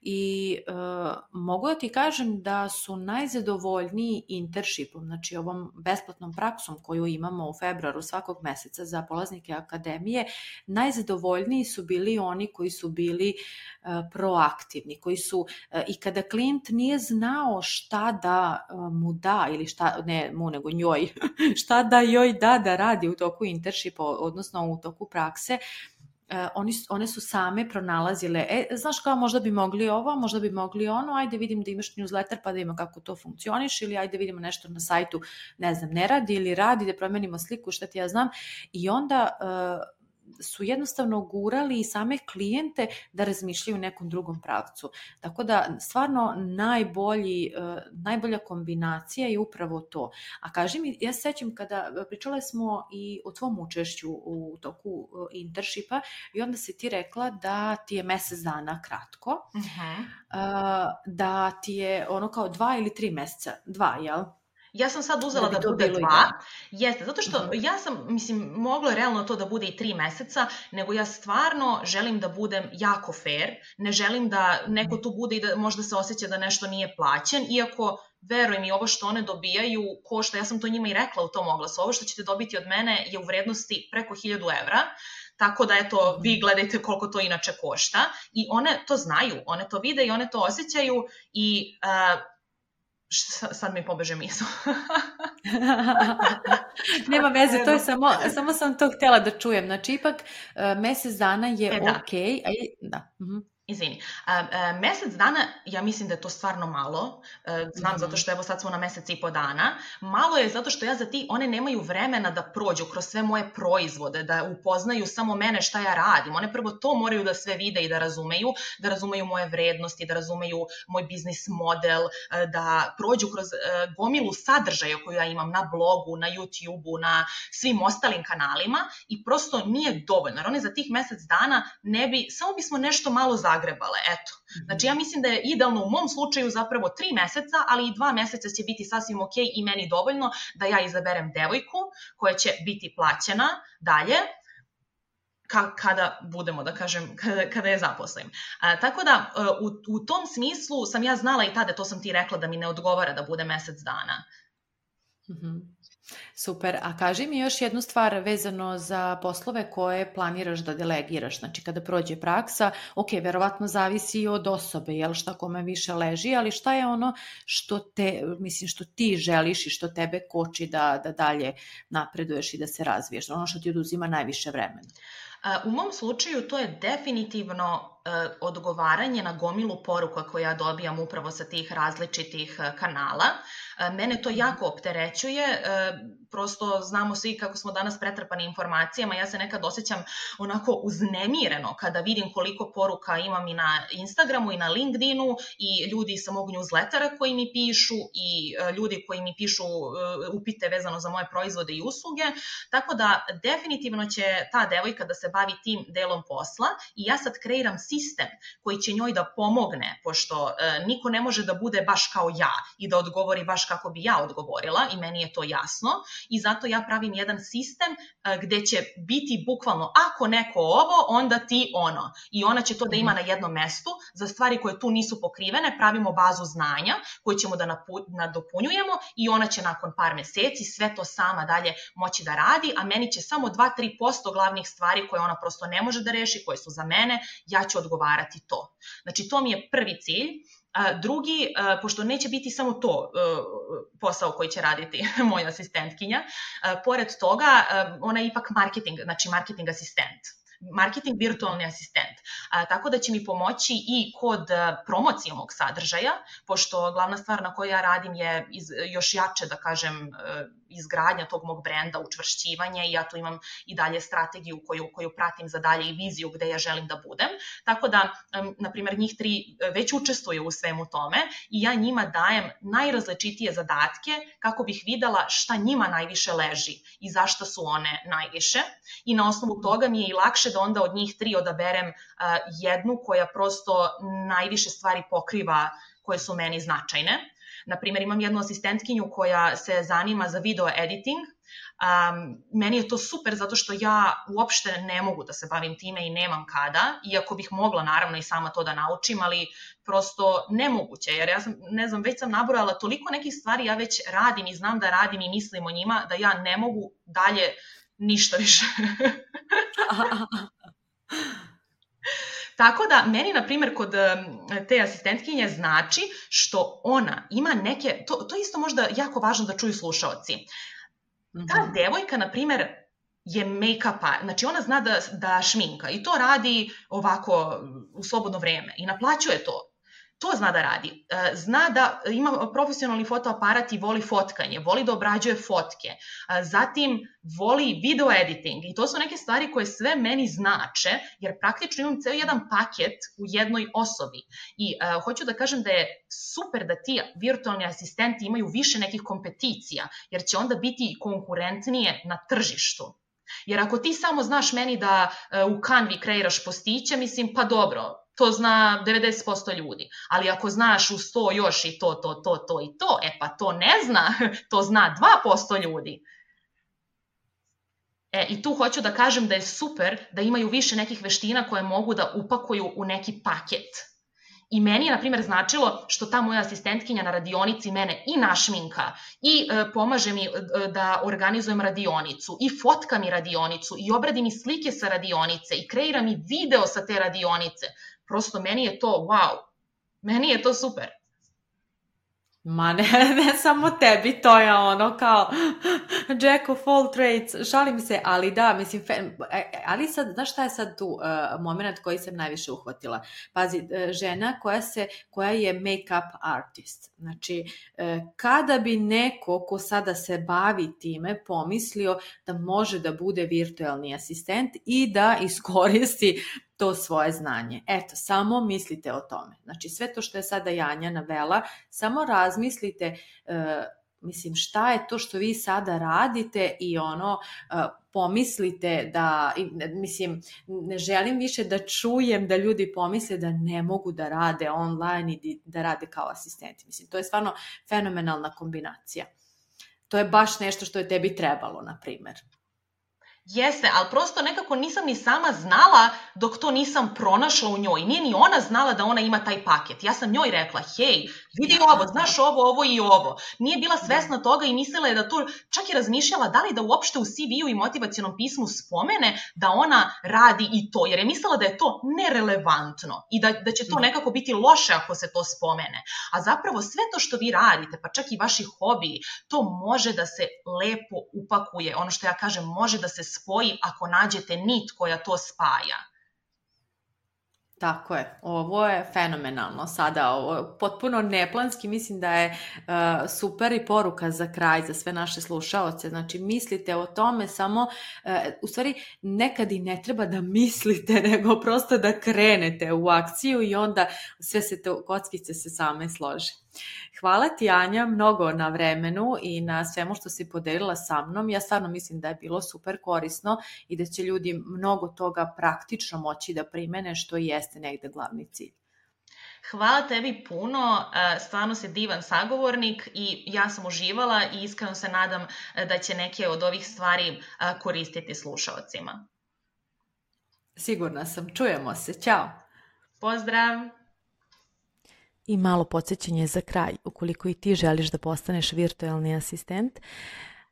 i mogu da ti kažem da su najzadovoljniji internshipom, znači ovom besplatnom praksom koju imamo u februaru svakog meseca za polaznike akademije, najzadovoljniji su bili oni koji su bili proaktivni, koji su i kada klijent nije znao šta da mu da ili šta, ne mu nego njoj, šta da joj da radi u toku internshipa, odnosno u toku prakse, one su same pronalazile, znaš kao možda bi mogli ovo, možda bi mogli ono, ajde vidim da imaš newsletter pa da ima kako to funkcioniš ili ajde vidimo nešto na sajtu, ne znam, ne radi ili radi, da promenimo sliku, šta ti ja znam, i onda su jednostavno gurali i same klijente da razmišljaju u nekom drugom pravcu. Tako da stvarno najbolja kombinacija je upravo to. A kaži mi, ja se sećam kada pričale smo i o tvom učešću u toku internshipa i onda si ti rekla da ti je mesec dana kratko, da ti je ono kao 2 ili 3 meseca, 2, jel? Ja sam sad uzela da bude 2, jeste, zato što ja sam, moglo je realno to da bude i 3 meseca, nego ja stvarno želim da budem jako fair, ne želim da neko tu bude i da možda se osjeća da nešto nije plaćen, iako verujem i ovo što one dobijaju košta, ja sam to njima i rekla u tom oglasu, ovo što ćete dobiti od mene je u vrednosti preko 1000 evra, tako da eto, vi gledajte koliko to inače košta i one to znaju, one to vide i one to osjećaju i sad mi pobeže misao. Nema veze, to je samo sam to htjela da čujem. Znači, ipak mesec dana je okej. Da. Izvini. Mesec dana, ja mislim da je to stvarno malo. Znam zato što evo sad smo na mesec i po dana. Malo je zato što one nemaju vremena da prođu kroz sve moje proizvode, da upoznaju samo mene šta ja radim. One prvo to moraju da sve vide i da razumeju moje vrednosti, da razumeju moj biznis model, da prođu kroz gomilu sadržaja koju ja imam na blogu, na YouTube-u, na svim ostalim kanalima i prosto nije dovoljno. Jer one za tih mesec dana samo bismo nešto malo zagrebale, eto. Znači, ja mislim da je idealno u mom slučaju zapravo 3 meseca, ali i 2 meseca će biti sasvim ok i meni dovoljno da ja izaberem devojku koja će biti plaćena dalje, kada budemo, da kažem, kada je zaposlim. Tako da, u tom smislu sam ja znala i tada, to sam ti rekla, da mi ne odgovara da bude mesec dana. Super, a kaži mi još jednu stvar vezano za poslove koje planiraš da delegiraš, znači kada prođe praksa, ok, verovatno zavisi i od osobe, jel, šta kome više leži, ali šta je ono što ti želiš i što tebe koči da dalje napreduješ i da se razviješ, ono što ti oduzima najviše vremena? U mom slučaju to je definitivno odgovaranje na gomilu poruka koje ja dobijam upravo sa tih različitih kanala. Mene to jako opterećuje, prosto znamo svi kako smo danas pretrpani informacijama, ja se nekad osjećam onako uznemireno kada vidim koliko poruka imam i na Instagramu i na LinkedInu i ljudi sa mog newslettera koji mi pišu i ljudi koji mi pišu upite vezano za moje proizvode i usluge, tako da definitivno će ta devojka da se bavi tim delom posla i ja sad kreiram sistem koji će njoj da pomogne, pošto niko ne može da bude baš kao ja i da odgovori baš kako bi ja odgovorila i meni je to jasno i zato ja pravim jedan sistem gde će biti bukvalno ako neko ovo, onda ti ono i ona će to da ima na jednom mestu. Za stvari koje tu nisu pokrivene pravimo bazu znanja koju ćemo da nadopunjujemo i ona će nakon par meseci sve to sama dalje moći da radi, a meni će samo 2-3% glavnih stvari koje ona prosto ne može da reši, koje su za mene, ja ću odgovarati to. Znači to mi je prvi cilj. Drugi, pošto neće biti samo to posao koji će raditi moja asistentkinja, pored toga ona je ipak marketing, znači marketing asistent. Marketing virtualni asistent, tako da će mi pomoći i kod promocije mog sadržaja, pošto glavna stvar na kojoj ja radim je još jače, da kažem, izgradnja tog mog brenda, učvršćivanje i ja tu imam i dalje strategiju koju pratim za dalje i viziju gde ja želim da budem, tako da, na primjer, njih 3 već učestvuju u svemu tome i ja njima dajem najrazličitije zadatke kako bih videla šta njima najviše leži i zašto su one najviše i na osnovu toga mi je i lakše da onda od njih 3 odaberem jednu koja prosto najviše stvari pokriva koje su meni značajne. Naprimjer, imam jednu asistentkinju koja se zanima za video editing. Meni je to super zato što ja uopšte ne mogu da se bavim time i nemam kada, iako bih mogla naravno i sama to da naučim, ali prosto nemoguće, jer ja sam, ne znam, već sam nabrojala toliko nekih stvari, ja već radim i znam da radim i mislim o njima, da ja ne mogu dalje ništa više. Tako da, meni, na primjer, kod te asistentkinje znači što ona ima neke, to isto možda jako važno da čuju slušaoci. Ta devojka, na primjer, je make-up, znači ona zna da šminka i to radi ovako u slobodno vreme i naplaćuje to. To zna da radi. Zna da ima profesionalni fotoaparat i voli fotkanje, voli da obrađuje fotke, zatim voli video editing i to su neke stvari koje sve meni znače, jer praktično imam ceo jedan paket u jednoj osobi. I hoću da kažem da je super da ti virtualni asistenti imaju više nekih kompeticija, jer će onda biti konkurentnije na tržištu. Jer ako ti samo znaš meni da u Canvi kreiraš postiće, mislim, pa dobro, to zna 90% ljudi, ali ako znaš u 100 još i to i to, pa to ne zna, to zna 2% ljudi. I tu hoću da kažem da je super da imaju više nekih veština koje mogu da upakuju u neki paket. I meni je, na primjer, značilo što ta moja asistentkinja na radionici mene i našminka i pomaže mi da organizujem radionicu i fotka mi radionicu i obradi mi slike sa radionice i kreira mi video sa te radionice. Prosto meni je to wow, meni je to super. Ma ne samo tebi, to je ono kao Jack of all trades, šalim se, ali da, mislim, ali sad, znaš šta je sad tu moment koji sam najviše uhvatila? Pazi, žena koja je make-up artist, znači, kada bi neko ko sada se bavi time pomislio da može da bude virtualni asistent i da iskoristi to svoje znanje. Eto, samo mislite o tome. Znači, sve to što je sada Janja navela, samo razmislite, mislim, šta je to što vi sada radite i pomislite da, mislim, ne želim više da čujem da ljudi pomisle da ne mogu da rade online i da rade kao asistenti. Mislim, to je stvarno fenomenalna kombinacija. To je baš nešto što je tebi trebalo, na primjer. Jeste, ali prosto nekako nisam ni sama znala dok to nisam pronašla u njoj. Nije ni ona znala da ona ima taj paket. Ja sam njoj rekla, hej, vidi ovo, znaš ovo i ovo. Nije bila svesna toga i mislila je da to, čak je razmišljala da li da uopšte u CV-u i motivacionom pismu spomene da ona radi i to, jer je mislila da je to nerelevantno i da će to nekako biti loše ako se to spomene. A zapravo sve to što vi radite, pa čak i vaši hobiji, to može da se lepo upakuje. Ono što ja kažem, može da se spoji ako nađete nit koja to spaja. Tako je, ovo je fenomenalno sada, ovo potpuno neplanski, mislim da je super i poruka za kraj za sve naše slušaoce, znači mislite o tome samo, u stvari nekad i ne treba da mislite, nego prosto da krenete u akciju i onda sve se te kockice se same slože. Hvala ti, Anja, mnogo na vremenu i na svemu što si podelila sa mnom. Ja stvarno mislim da je bilo super korisno i da će ljudi mnogo toga praktično moći da primene, što i jeste negde glavni cilj. Hvala tebi puno, stvarno si divan sagovornik i ja sam uživala i iskreno se nadam da će neke od ovih stvari koristiti slušaocima. Sigurna sam, čujemo se, ćao! Pozdrav! I malo podsjećanje za kraj, ukoliko i ti želiš da postaneš virtualni asistent,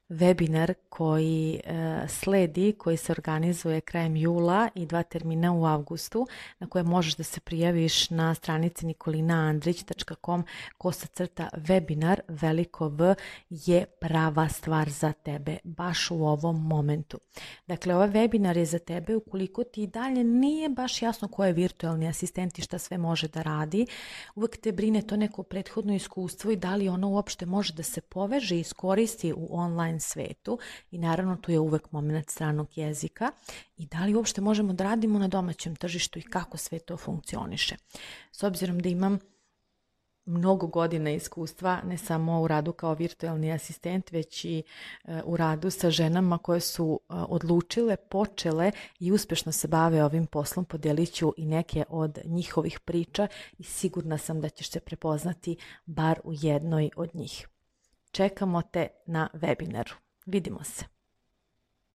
webinar koji sledi, koji se organizuje krajem jula i 2 termina u avgustu, na koje možeš da se prijaviš na stranici nikolinaandrić.com/webinar, veliko V, je prava stvar za tebe, baš u ovom momentu. Dakle, ovaj webinar je za tebe ukoliko ti dalje nije baš jasno ko je virtualni asistent i šta sve može da radi. Uvek te brine to neko prethodno iskustvo i da li ono uopšte može da se poveže i iskoristi u online svetu i naravno tu je uvek moment stranog jezika i da li uopšte možemo da radimo na domaćem tržištu i kako sve to funkcioniše. S obzirom da imam mnogo godina iskustva, ne samo u radu kao virtualni asistent, već i u radu sa ženama koje su odlučile, počele i uspešno se bave ovim poslom, podelit ću i neke od njihovih priča i sigurna sam da ćeš se prepoznati bar u jednoj od njih. Čekamo te na webinaru. Vidimo se.